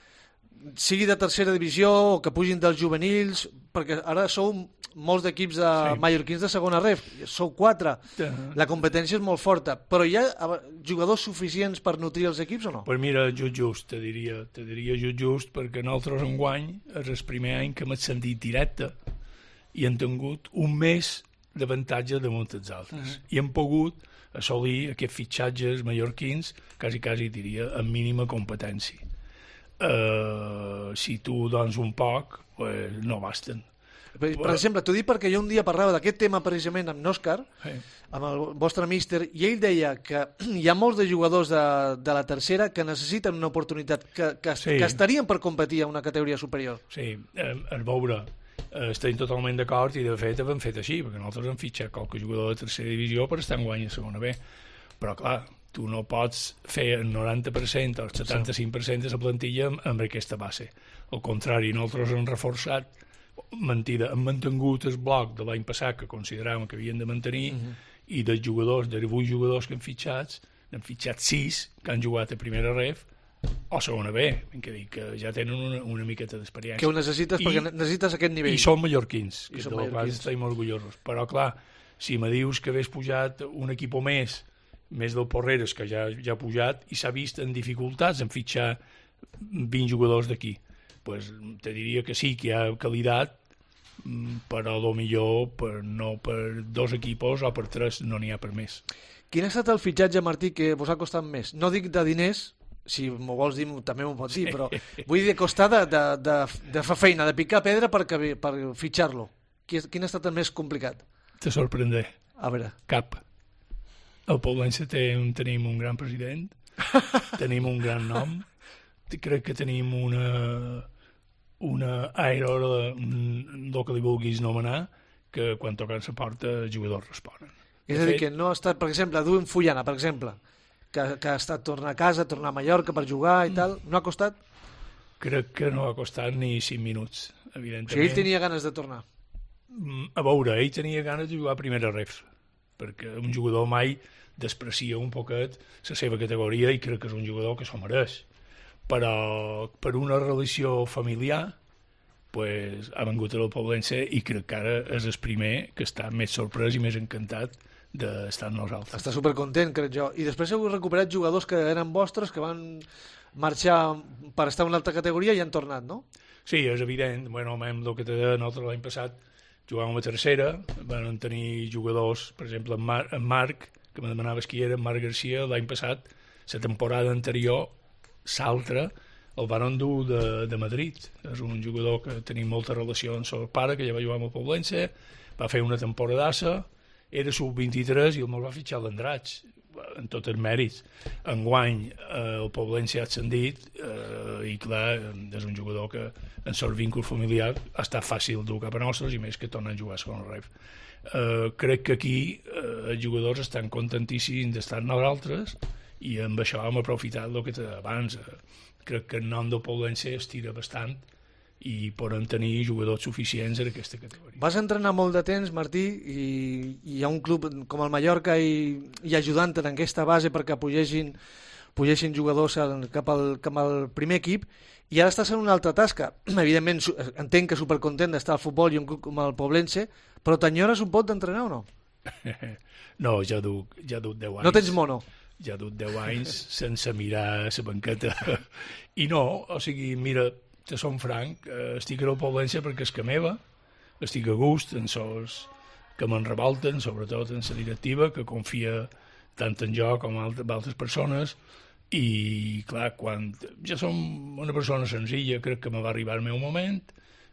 Speaker 3: sigui de tercera divisió o que pugin dels juvenils, perquè ara sou molts d'equips mallorquins de segona ref, sou 4, la competència és molt forta, però hi ha jugadors suficients per nutrir els equips o no?
Speaker 5: Pues mira, just, te diria just, perquè nosaltres enguany és el primer any que hem ascendit directe i hem tingut un mes d'avantatge damunt els altres, i hem pogut assolir aquests fitxatges mallorquins, quasi diria, amb mínima competència. Si tu dones un poc, no basten.
Speaker 3: Per exemple, t'ho dic perquè jo un dia parlava d'aquest tema precisament amb Òscar, amb el vostre míster, i ell deia que hi ha molts de jugadors de la tercera que necessiten una oportunitat, que estarien per competir a una categoria superior.
Speaker 5: Sí, a veure, estem totalment d'acord, i de fet hem fet així, perquè nosaltres hem fitxat qualque jugador de tercera divisió per estar en guany a segona B, però clar, tu no pots fer el 90% o el 75% de la plantilla amb aquesta base. Al contrari, nosaltres hem reforçat, hem mantingut el bloc de l'any passat que consideràvem que havien de mantenir, i dels jugadors, de 8 jugadors que hem fitxat 6 que han jugat a primera ref o segona B, que ja tenen una miqueta d'experiència.
Speaker 3: Que ho necessites perquè necessites aquest nivell.
Speaker 5: I són mallorquins, que de la qual estem orgullosos. Però clar, si me dius que hagués pujat un equip o més del Porreres, que ja ha pujat, i s'ha vist en dificultats en fitxar 20 jugadors d'aquí, pues te diria que sí, que hi ha qualitat, però potser no per 2 equipos o per 3 no n'hi ha per més.
Speaker 3: Quin ha estat el fitxatge, Martí, que vos ha costat més? No dic de diners, si m'ho vols dir també m'ho pots dir, però vull dir de costar de fer feina, de picar pedra per fitxar-lo. Quin ha estat el més complicat?
Speaker 5: Te sorprendré.
Speaker 3: A veure.
Speaker 5: Cap. Al Poblense tenim un gran president, tenim un gran nom, crec que tenim una aero, el que li vulguis nomenar, que quan toquen la porta els jugadors responen.
Speaker 3: És a dir, que no ha estat, per exemple, Edwin Fullana, per exemple, que ha estat tornar a casa, tornar a Mallorca per jugar i tal, no ha costat?
Speaker 5: Crec que no ha costat ni 5 minuts, evidentment.
Speaker 3: O sigui, ell tenia ganes de tornar.
Speaker 5: A veure, ell tenia ganes de jugar a primera ref, perquè un jugador mai desprecia un poquet la seva categoria i crec que és un jugador que s'ho mereix. Però per una relació familiar pues, ha vengut al Poblense i crec que ara és el primer que està més sorprès i més encantat d'estar amb nosaltres.
Speaker 3: Està supercontent, crec jo. I després heu recuperat jugadors que eren vostres, que van marxar per estar en una altra categoria i han tornat, no?
Speaker 5: Sí, és evident. Bueno, el que t'he dit, nosaltres l'any passat jugàvem a tercera, van tenir jugadors, per exemple, en Marc, que me demanaves qui era, Marc Garcia, l'any passat, la temporada anterior, l'altra, el van endur de Madrid. És un jugador que tenim molta relació amb el pare, que ja va jugar amb el Poblense, va fer una temporadassa, era sub-23 i el va fitxar l'Andratx, en tots els mèrits. Enguany el Poblense ha ascendit i clar, és un jugador que en el vínculo familiar ha estat fàcil dur cap a nostres i més que tornen a jugar a segon ref. Crec que aquí els jugadors estan contentíssims d'estar amb nosaltres i amb això hem aprofitat el que té abans. Crec que el nom del Poblense es tira bastant i poden tenir jugadors suficients en aquesta categoria.
Speaker 3: Vas entrenar molt de temps, Martí, i hi ha un club com el Mallorca i ajudant en aquesta base perquè pugessin jugadors cap al primer equip, i ara estàs en una altra tasca. Evidentment, entenc que supercontent d'estar al futbol i un club com el Poblense, però t'enyores un pot d'entrenar o no?
Speaker 5: No, ja duc 10 anys.
Speaker 3: No tens mono?
Speaker 5: Ja duc 10 anys sense mirar la banqueta. I no, o sigui, mira, te som franc, estic al Poblense perquè és que meva, estic a gust en sos que me'n revolten, sobretot en la directiva, que confia tant en jo com en altres persones, i clar, quan ja som una persona senzilla, crec que me va arribar el meu moment,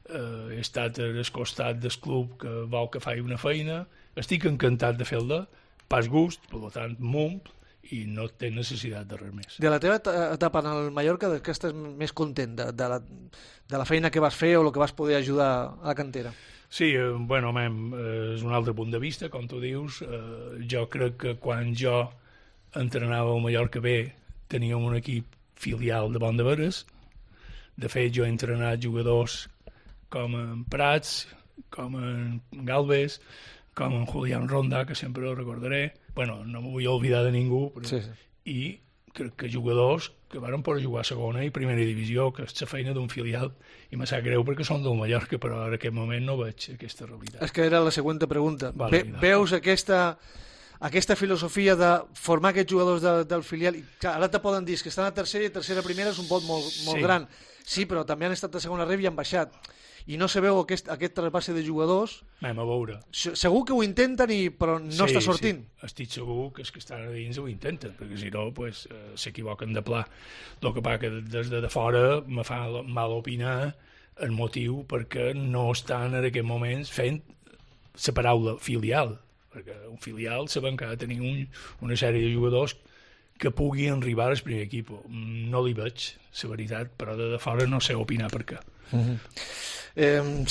Speaker 5: he estat al costat del club que vol que faci una feina, estic encantat de fer-la, pas gust, per tant, m'ompl, i no té necessitat de res més.
Speaker 3: De la teva etapa en el Mallorca, de què estàs més content? De la feina que vas fer o el que vas poder ajudar a la cantera?
Speaker 5: Sí, bueno, és un altre punt de vista, com tu dius. Jo crec que quan jo entrenava al Mallorca B teníem un equip filial de Pont de Veres. De fet, jo he entrenat jugadors com en Prats, com en Galvez, com en Julián Ronda, que sempre el recordaré. Bueno, no m'ho vull oblidar de ningú, però... sí. I crec que jugadors que van poder jugar a segona i primera divisió, que és la feina d'un filial, i me sap greu perquè són del Mallorca, però en aquest moment no veig aquesta realitat.
Speaker 3: És que era la següent pregunta. Veus aquesta filosofia de formar aquests jugadors del filial? I, clar, ara te poden dir que estan a tercera i tercera primera és un pot molt gran. Sí, però també han estat a segona ref i han baixat. I no se veu aquest trasbase de jugadors.
Speaker 5: Anem a veure.
Speaker 3: Segur que ho intenten, però no està sortint.
Speaker 5: Sí. Estic segur que els que estan a dins ho intenten, perquè si no s'equivoquen de pla. El que passa que des de fora me fa mal opinar el motiu perquè no estan en aquest moment fent la paraula filial, perquè un filial saben que ha de tenir una sèrie de jugadors que pugui arribar al primer equip. No li veig, la veritat, però de fora no sé opinar per què.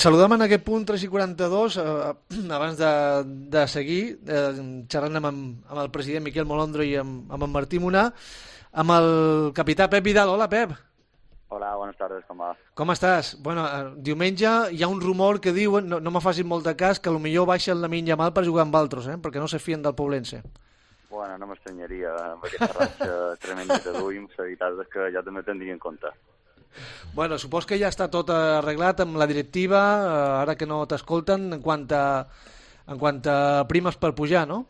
Speaker 3: Saludem en aquest punt 3:42 abans de seguir xerrant amb el president Miquel Molondro i amb en Martí Munar, amb el capità Pep Vidal. Hola, Pep.
Speaker 9: Hola, buenas tardes, com va?
Speaker 3: Com estàs? Bueno, diumenge hi ha un rumor que diuen, no me facin molt de cas, que potser baixa el Lamine Yamal per jugar amb altres, perquè no se fien del Poblense.
Speaker 9: Bueno, no m'estranyaria amb aquesta ratxa tremenda que duim, la veritat és que ja també tindria en compte.
Speaker 3: Bueno, supos que ja està tot arreglat amb la directiva, ara que no t'escolten, en quant a primes per pujar, no?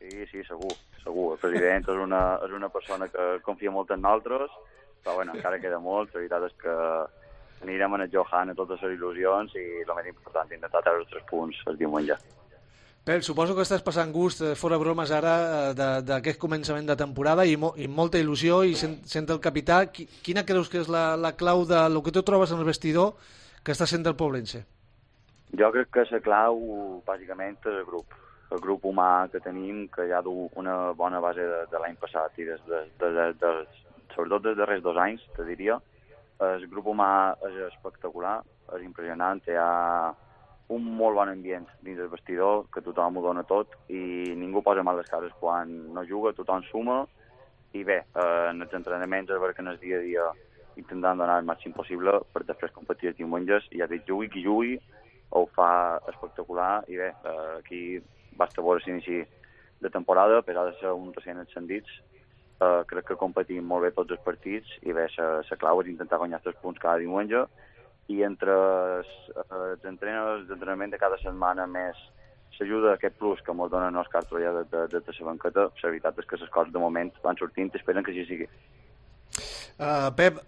Speaker 9: Sí, segur. El president és una persona que confia molt en nosaltres, però bueno, encara queda molt. La veritat és que anirem a Johan a totes les il·lusions i el més important, intentar treure els 3 punts el diumenge.
Speaker 3: Pep, suposo que estàs passant gust, fora bromes ara, d'aquest començament de temporada i molta il·lusió, i sent el capità, quina creus que és la clau del que tu trobes en el vestidor que està sent el Poblense?
Speaker 9: Jo crec que la clau, bàsicament, és el grup humà que tenim, que ja du una bona base de l'any passat i sobretot dels darrers 2 anys, te diria. El grup humà és espectacular, és impressionant, hi ha un molt bon ambient dins del vestidor, que tothom ho dona tot i ningú posa mal les cares quan no juga, tothom suma, i bé, en els entrenaments és perquè en el dia a dia intentant donar el màxim possible per després competir els diumenges, i ja dic, jugui qui jugui, ho fa espectacular, i bé, aquí basta veure l'inici de temporada, a pesar de ser un recent ascendits, crec que competim molt bé tots els partits i bé, la clau és intentar guanyar 3 punts cada diumenge i entre els entrenaments de cada setmana més s'ajuda aquest plus que ens donen els carts ja de la banqueta, la veritat és que les coses de moment van sortint i esperen que així sigui.
Speaker 3: Pep,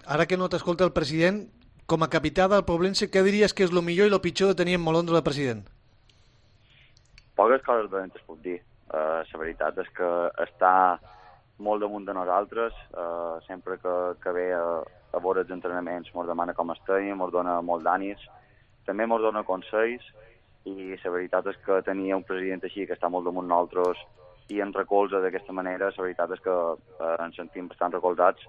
Speaker 3: ara que no t'escolta el president, com a capità del Poblense, què diries que és el millor i el pitjor de tenir en Molondro de president?
Speaker 9: Poques coses dolentes puc dir. La veritat és que està molt damunt de nosaltres, sempre que ve a veure els entrenaments ens demana com estem, ens dona molt d'ànims, també ens dona consells i la veritat és que tenir un president així que està molt damunt nosaltres i ens recolza d'aquesta manera, la veritat és que ens sentim bastant recolzats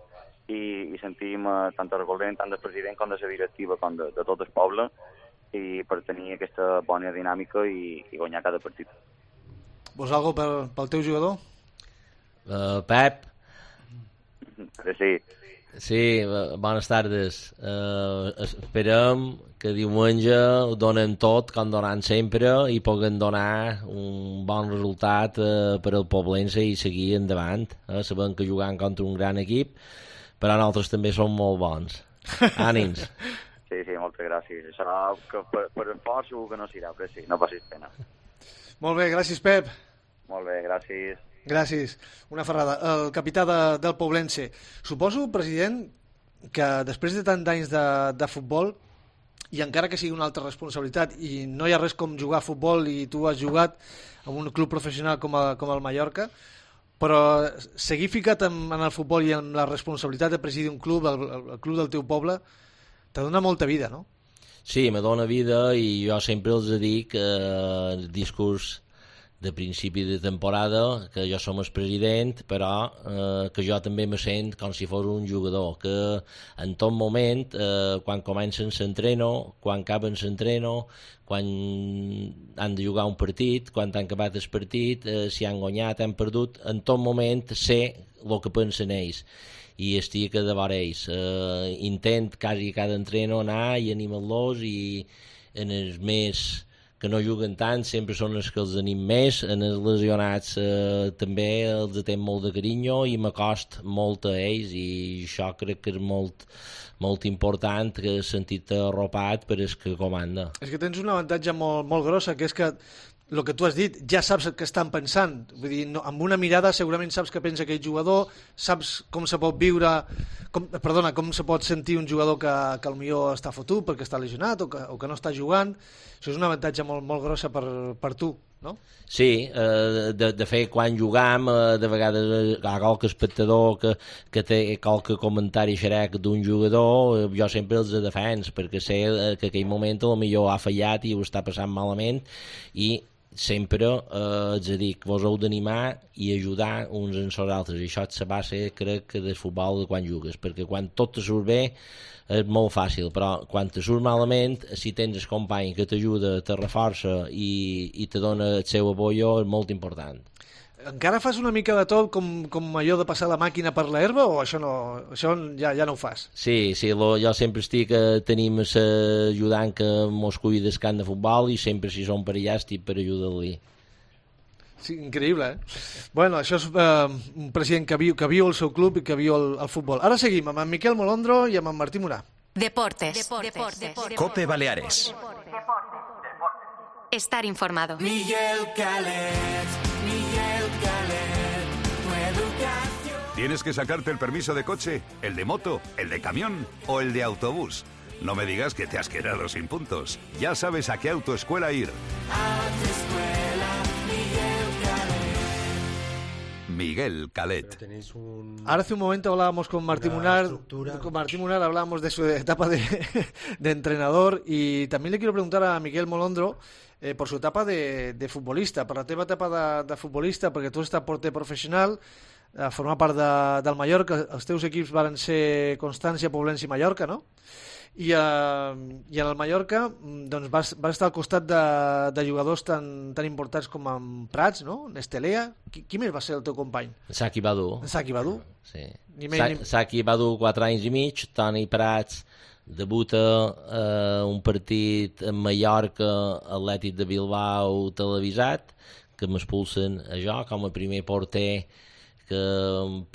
Speaker 9: i sentim tant el recolzament tant del president com de la directiva com de tot el poble i per tenir aquesta bona dinàmica i guanyar cada partit.
Speaker 3: Vols alguna pel teu jugador?
Speaker 4: Pep?
Speaker 9: Sí.
Speaker 4: Sí, bones tardes. Esperem que diumenge ho donem tot, com donem sempre, i puguem donar un bon resultat per al Poblense i seguir endavant. Sabem que jugant contra un gran equip, però nosaltres també som molt bons. Ànims.
Speaker 9: Sí, moltes gràcies. Això que per fort segur que no serà, però sí, no passis pena.
Speaker 3: Molt bé, gràcies, Pep.
Speaker 9: Molt bé, gràcies.
Speaker 3: Gràcies. Una ferrada. El capità del Poblense. Suposo, president, que després de tant d'anys de futbol, i encara que sigui una altra responsabilitat, i no hi ha res com jugar a futbol, i tu has jugat en un club professional com el Mallorca, però seguir ficat en el futbol i en la responsabilitat de presidir un club, el club del teu poble, te dona molta vida, no?
Speaker 4: Sí, me dona vida i jo sempre els dic el discurs de principi de temporada, que jo som el president, però que jo també me sent com si fos un jugador, que en tot moment, quan comencen s'entreno, quan acaben s'entreno, quan han de jugar un partit, quan han acabat el partit, si han guanyat, han perdut, en tot moment sé el que pensen ells i estic a davant ells. Intent quasi cada entreno anar i animar-los i en els més que no juguen tant sempre són els que els anim més, en els lesionats també els tenc molt de carinyo i m'acost molt a ells i això crec que és molt important que he sentit arropat per el que comanda.
Speaker 3: És que tens un avantatge molt grossa, que és que el que tu has dit, ja saps el que estan pensant. Vull dir, no, amb una mirada segurament saps què pensa aquell jugador, saps com se pot viure, com se pot sentir un jugador que potser està fotut perquè està lesionat o que no està jugant. Això és un avantatge molt grossa per tu, no?
Speaker 4: Sí, de fet, quan jugam, de vegades hi ha qualque espectador que té qualque comentari xerec d'un jugador, jo sempre els defens, perquè sé que aquell moment potser ha fallat i ho està passant malament, i sempre els dic, vos heu d'animar i ajudar uns en els altres, i això és la base, crec, del futbol de quan jugues, perquè quan tot te surt bé és molt fàcil, però quan te surt malament, si tens el company que t'ajuda, te reforça i te dona el seu apoyo, és molt important.
Speaker 3: Encara fas una mica de tot com allò de passar la màquina per l'herba o això ja no ho fas?
Speaker 4: Sí, jo sempre estic, tenim l'ajudant que mos cuida del camp de futbol i sempre si som per allà estic per ajudar-li.
Speaker 3: Sí, increïble, Bueno, això és un president que viu el seu club i que viu el futbol. Ara seguim amb en Miquel Molondro i amb en Martí Morà.
Speaker 12: Deportes.
Speaker 1: Cope Baleares.
Speaker 12: Estar informado.
Speaker 13: Miguel Calet, tu educación.
Speaker 14: ¿Tienes que sacarte el permiso de coche, el de moto, el de camión o el de autobús? No me digas que te has quedado sin puntos. Ya sabes a qué autoescuela ir.
Speaker 13: Autoescuela
Speaker 14: Miguel Calet.
Speaker 3: Ahora hace un momento hablábamos con Martí Munar. Con Martí Munar hablábamos de su etapa de entrenador y también le quiero preguntar a Miquel Molondro por su etapa de futbolista, per la teva etapa de futbolista, perquè tu has estat porter professional, a formar part del Mallorca, els teus equips van ser Constància, Poblense i Mallorca, no? I en el Mallorca doncs vas estar al costat de jugadors tan importants com en Prats, no? Nestelea. Qui més va ser el teu company?
Speaker 4: Saki Badu.
Speaker 3: Saki Badu?
Speaker 4: Sí. Saki Badu, 4 anys i mig. Toni Prats debuta un partit en Mallorca, Atlètic de Bilbao televisat, que m'expulsen a jo com a primer porter, que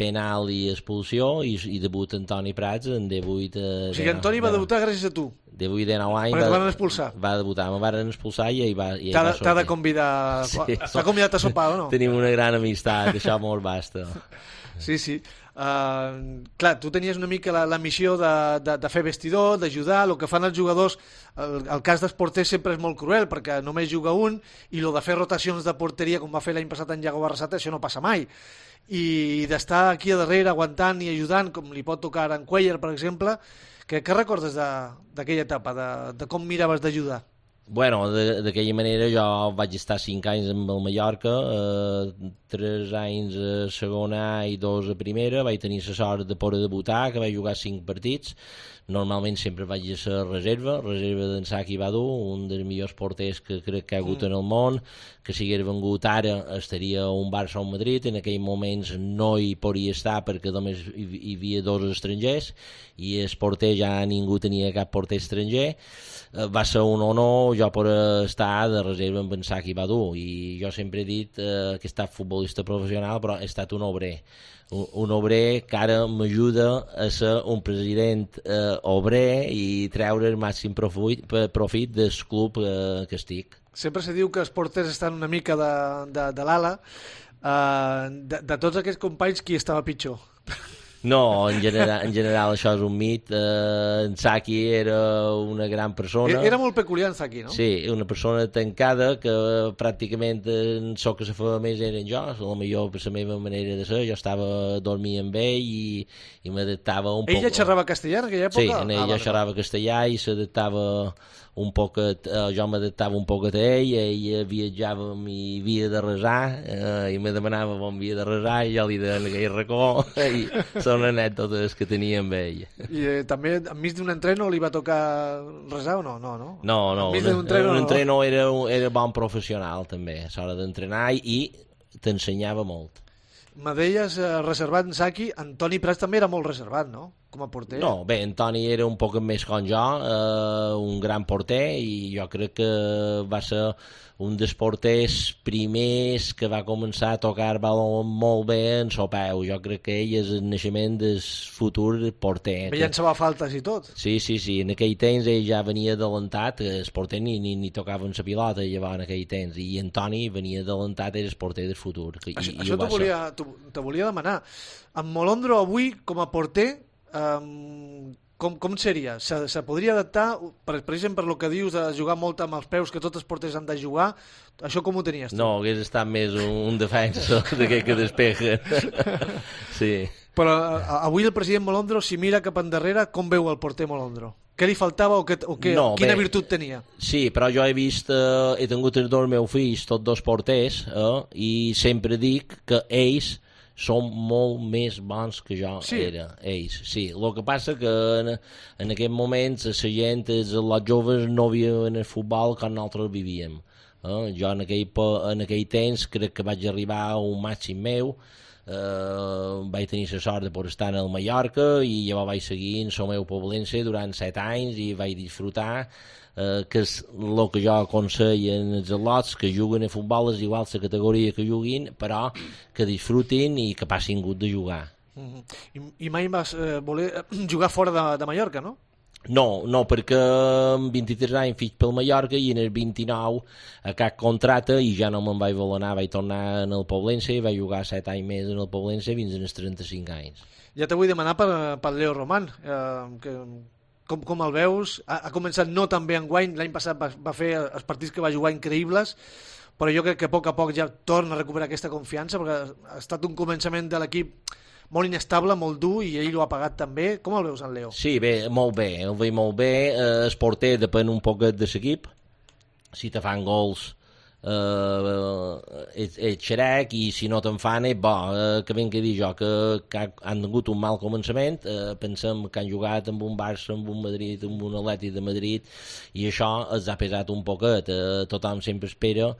Speaker 4: penal i expulsió, i debut Antoni Prats en 18...
Speaker 3: O sigui, Antoni va debutar gràcies a tu.
Speaker 4: 18-19 anys...
Speaker 3: Perquè te van expulsar.
Speaker 4: Va debutar, me van expulsar i va
Speaker 3: T'ha de convidar...
Speaker 4: Sí.
Speaker 3: T'ha convidat a sopar, o no?
Speaker 4: Tenim una gran amistat, això molt basta.
Speaker 3: Sí, sí. Clar, tu tenies una mica la missió de fer vestidor, d'ajudar. El que fan els jugadors, el cas dels porters sempre és molt cruel, perquè només juga un, i el de fer rotacions de porteria, com va fer l'any passat en Iago Barrasate, això no passa mai. I d'estar aquí a darrere aguantant i ajudant, com li pot tocar en Cuellar, per exemple, què recordes d'aquella etapa, de com miraves d'ajudar?
Speaker 4: Bueno, d'aquella manera jo vaig estar 5 anys amb el Mallorca, 3 anys a segona i 2 a primera, vaig tenir la sort de poder debutar, que vaig jugar 5 partits, normalment sempre vaig a ser reserva d'en Saki Badu, un dels millors porters que crec que ha hagut en el món, que si hagués vengut ara estaria un Barça o un Madrid, en aquells moments no hi podria estar perquè només hi havia 2 estrangers i el porter ja ningú tenia cap porter estranger. Va ser un honor jo per estar de reserva amb en Saki Badu, i jo sempre he dit que he estat futbolista professional, però he estat un obrer que ara m'ajuda a ser un president obrer i treure el màxim profit del club que estic.
Speaker 3: Sempre se diu que els porters estan una mica de l'ala. De tots aquests companys, qui estava pitjor?
Speaker 4: No, en general això és un mit. En Saki era una gran persona.
Speaker 3: Era molt peculiar en Saki, no?
Speaker 4: Sí, una persona tancada que pràcticament el que se feia més era jo, potser per la meva manera de ser. Jo estava dormint amb ell i m'adaptava un poc.
Speaker 3: Ella xerrava castellà en aquella època?
Speaker 4: Sí, ella xerrava castellà i s'adaptava un poquet, jo m'adaptava un poquet a ell viatjava i havia de resar i me demanava on havia de resar i jo li deia en aquell racó i són anècdotes que tenia amb ell.
Speaker 3: I també enmig d'un entreno li va tocar resar o no?
Speaker 4: No, un entreno era bon professional també, a l'hora d'entrenar i t'ensenyava molt.
Speaker 3: Me deies reservat en Saki, Antoni Prats també era molt reservat, no? Com a porter.
Speaker 4: No, bé, Antoni era un poc més com jo, un gran porter, i jo crec que va ser un dels porters primers que va començar a tocar baló molt bé en el peu. Jo crec que ell és el naixement del futur porter.
Speaker 3: Bé, llançava faltes i tot.
Speaker 4: Sí, en aquell temps ell ja venia adelantat, el porter ni tocava en la pilota llavors en aquell temps, i Antoni venia adelantat, era el porter del futur.
Speaker 3: Això te volia demanar. En Molondro avui, com a porter, com seria? Se podria adaptar, per exemple, per el que dius de jugar molt amb els peus, que tots els porters han de jugar, això com ho tenies tu?
Speaker 4: No, hagués estat més un defensa d'aquest que despeja. Sí.
Speaker 3: Però avui el president Molondro, si mira cap endarrere, com veu el porter Molondro? Què li faltava quina virtut tenia?
Speaker 4: Sí, però jo he tingut els 2 meus fills, tots 2 porters, i sempre dic que ells són molt més bons que jo era, ells. Sí, el que passa que en aquest moment la gent, els joves no viuen el futbol com nosaltres vivíem. Jo en aquell temps crec que vaig arribar a un màxim meu, vaig tenir la sort de poder estar al Mallorca i llavors vaig seguir en el meu poblense durant 7 anys i vaig disfrutar, que és el que jo aconsello als al·lots que juguen a futbol, és igual la categoria que juguin, però que disfrutin i que passin gust de jugar.
Speaker 3: I mai vas voler jugar fora de Mallorca, no?
Speaker 4: No, perquè amb 23 anys fic pel Mallorca i en el 29 a cap contracte i ja no me'n vaig voler anar, vaig tornar en el Poblense i vaig jugar 7 anys més en el Poblense fins als 35 anys.
Speaker 3: Ja te vull demanar per Leo Román, com el veus? Ha començat no tan bé enguany, l'any passat va fer els partits que va jugar increïbles, però jo crec que a poc ja torna a recuperar aquesta confiança, perquè ha estat un començament de l'equip molt inestable, molt dur, i ell ho ha pagat també. Com el veus, en Leo?
Speaker 4: Sí, bé, molt bé, el veig molt bé. El porter depèn un poquet de l'equip. Si te fan gols ets xerec, i si no te'n fan és bo. Que ben que dir jo, que han tingut un mal començament. Pensem que han jugat amb un Barça, amb un Madrid, amb un Atlètic de Madrid, i això els ha pesat un poquet. Tothom sempre espera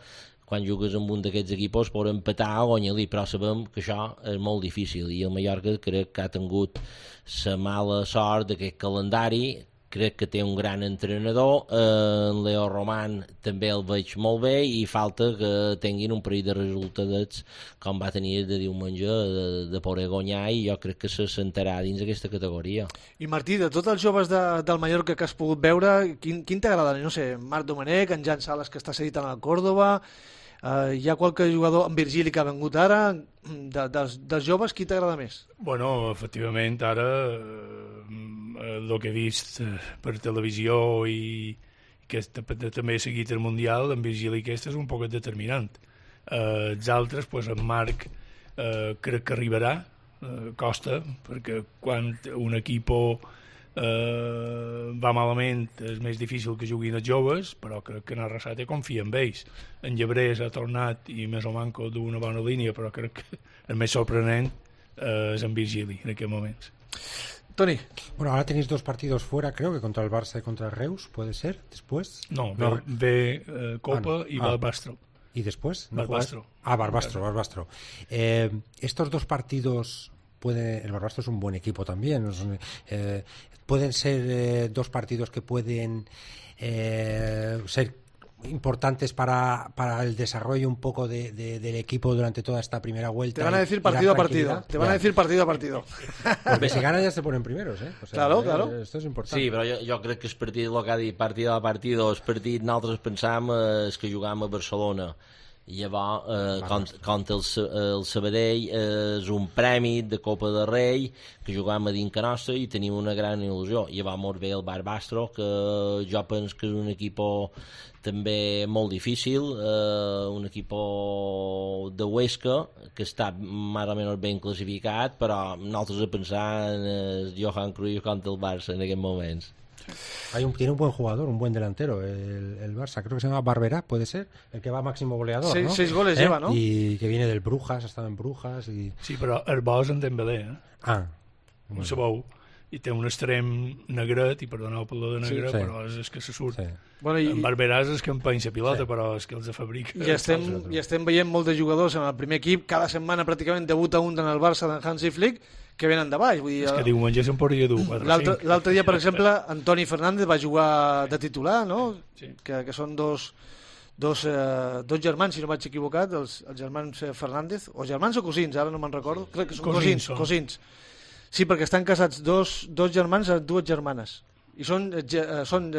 Speaker 4: quan jugues amb un d'aquests equipos per empatar o guanyar-li, però sabem que això és molt difícil, i el Mallorca crec que ha tingut la mala sort d'aquest calendari, crec que té un gran entrenador, en Leo Roman també el veig molt bé i falta que tinguin un parell de resultats com va tenir de diumenge de poder guanyar, i jo crec que se sentarà dins aquesta categoria.
Speaker 3: I Martí, de tots els joves del Mallorca que has pogut veure, quin t'agrada? No sé, Marc Domènech, en Jan Sales, que està cedit en el Córdoba, hi ha qualque jugador, en Virgili, que ha vengut ara, dels joves, qui t'agrada més?
Speaker 5: Bueno, efectivament, ara el que he vist per televisió i que també he seguit el Mundial, en Virgili aquest és un poc determinant. Els altres, pues, en Marc crec que arribarà, costa, perquè quan un equip va malament és més difícil que juguin els joves, però crec que en Arrasate confia en ells. En Llebrés ha tornat i més o manco d'una bona línia, però crec que el més sorprenent es en Virgili en aquests moments.
Speaker 3: Toni.
Speaker 11: Bueno, ahora tenéis 2 partidos fuera, creo que contra el Barça y contra el Reus, ¿puede ser? ¿Después?
Speaker 5: No, ve Copa y Barbastro.
Speaker 11: ¿Y después?
Speaker 5: Barbastro.
Speaker 11: Barbastro. Estos 2 partidos, el Barbastro es un buen equipo también, pueden ser 2 partidos que pueden ser importantes para el desarrollo un poco del equipo durante toda esta primera vuelta.
Speaker 3: Te van a decir partido a partido.
Speaker 11: Porque si ganan ya se ponen primeros, ¿eh? O sea,
Speaker 3: claro.
Speaker 11: Esto és important.
Speaker 4: Sí, però jo crec que el partit, el que ha dit partido a partido, el partit nosaltres pensàvem és que jugàvem a Barcelona. I llavors, contra el Sabadell és un premi de Copa de Rei que jugàvem a dintre nostra i tenim una gran il·lusió. I llavors molt bé el Barbastro, que jo penso que és un equip també molt difícil, un equip de Huesca que està més o menys ben classificat, però nosaltres a pensar en el Johan Cruyff contra el Barça en aquests moments.
Speaker 11: Tiene un buen jugador, un buen delantero el Barça, creo que se llama Barberá, puede ser, el que va máximo goleador, ¿no?
Speaker 3: 6 goles lleva, ¿no?
Speaker 11: Y que viene del Brujas, ha estado en Brujas y...
Speaker 5: Sí, però el bo és en Dembélé, no sabeu, i té un extrem negret, i perdoneu per lo de negre, però és que se surt. Bueno, en Barberà és que empenja pilota, però és que els fabrica.
Speaker 3: I estem veient molts de jugadors en el primer equip, cada setmana pràcticament debuta un en el Barça d'en Hansi Flick, que venen de baix. Vull dir,
Speaker 5: és que diumenge se'n podria dur 4 o 5.
Speaker 3: L'altre dia, per exemple, Antoni Fernández va jugar de titular, no? Sí. Que són dos germans, si no vaig equivocat, els germans Fernández, o germans o cosins, ara no me'n recordo. Crec que són cosins. Sí, perquè estan casats dos germans amb 2 germanes. I són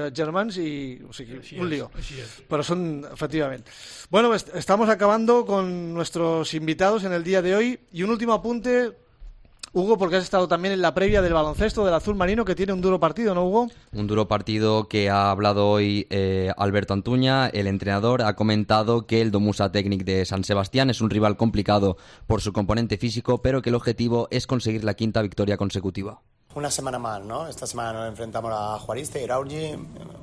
Speaker 3: germans y, o sigui, un lío. Pero son, efectivamente. Bueno, estamos acabando con nuestros invitados en el día de hoy. Y un último apunte, Hugo, porque has estado también en la previa del baloncesto del Azul Marino, que tiene un duro partido, ¿no, Hugo?
Speaker 6: Un duro partido que ha hablado hoy Alberto Antuña, el entrenador. Ha comentado que el Domusa Technic de San Sebastián es un rival complicado por su componente físico, pero que el objetivo es conseguir la 5ª victoria consecutiva.
Speaker 12: Una semana más, ¿no? Esta semana nos enfrentamos a Juariste y Iraurgi,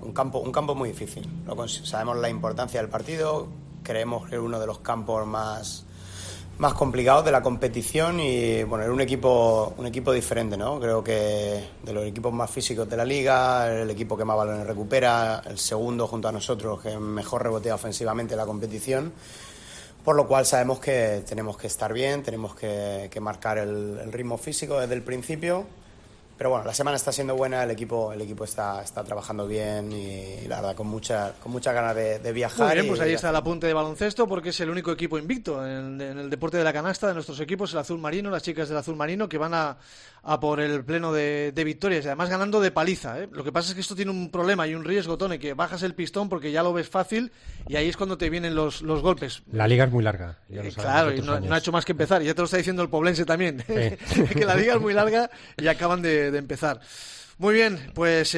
Speaker 12: un campo muy difícil. Sabemos la importancia del partido, creemos que es uno de los campos más complicados de la competición y bueno, era un equipo diferente, ¿no? Creo que de los equipos más físicos de la liga, el equipo que más balones recupera, el segundo junto a nosotros que mejor rebotea ofensivamente la competición, por lo cual sabemos que tenemos que estar bien, tenemos que marcar el ritmo físico desde el principio. Pero bueno, la semana está siendo buena, el equipo está trabajando bien y la verdad con mucha ganas de viajar.
Speaker 3: Muy bien, pues ahí está el apunte de baloncesto, porque es el único equipo invicto en el deporte de la canasta de nuestros equipos, el Azul Marino, las chicas del Azul Marino, que van a por el pleno de victorias, y además ganando de paliza, ¿eh? Lo que pasa es que esto tiene un problema y un riesgo, Tony, que bajas el pistón porque ya lo ves fácil y ahí es cuando te vienen los golpes.
Speaker 11: La liga es muy larga. Ya lo
Speaker 3: claro, y no ha hecho más que empezar. Ya te lo está diciendo el Poblense también, que la liga es muy larga y acaban de empezar. Muy bien, pues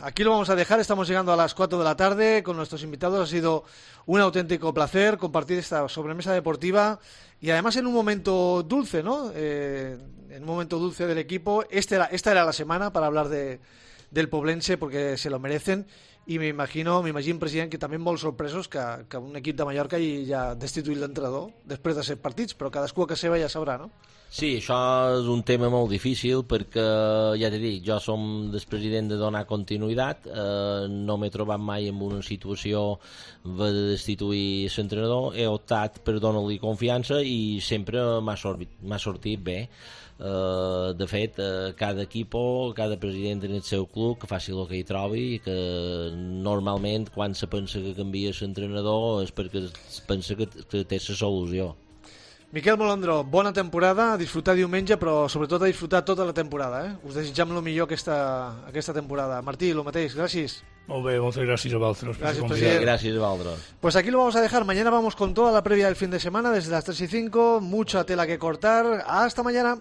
Speaker 3: aquí lo vamos a dejar. Estamos llegando a las 4 de la tarde con nuestros invitados. Ha sido un auténtico placer compartir esta sobremesa deportiva y además en un momento dulce, ¿no? En un momento dulce del equipo. Esta era la semana para hablar del Poblense porque se lo merecen. i m'imagino, president, que també molt sorpresos que un equip de Mallorca ja ha destituït l'entrenador després de 7 partits, però cadascú a casa seva ja sabrà, no?
Speaker 4: Sí, això és un tema molt difícil perquè, ja t'he dit, jo som el president de donar continuïtat, no m'he trobat mai en una situació de destituir l'entrenador, he optat per donar-li confiança i sempre m'ha sortit bé. De fet, cada equip, cada president en el seu club que faci el que hi trobi i que normalment quan se pensa que canvia l'entrenador és perquè es pensa que té la solució.
Speaker 3: Miquel Molondro, bona temporada, a disfrutar diumenge, però sobretot a disfrutar tota la temporada. Us desitjam el millor aquesta temporada. Martí, el mateix, gràcies.
Speaker 5: Molt bé, moltes gràcies a vosaltres.
Speaker 3: Gracias, presidente.
Speaker 4: Gracias, Valdro.
Speaker 3: Pues aquí lo vamos a dejar. Mañana vamos con toda la previa del fin de semana, desde las 3 y 5. Mucha tela que cortar. Hasta mañana.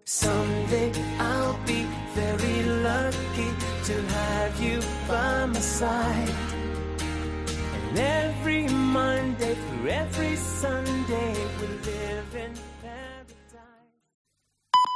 Speaker 13: Someday I'll be very lucky to have you by my side. And every Monday through every Sunday we live in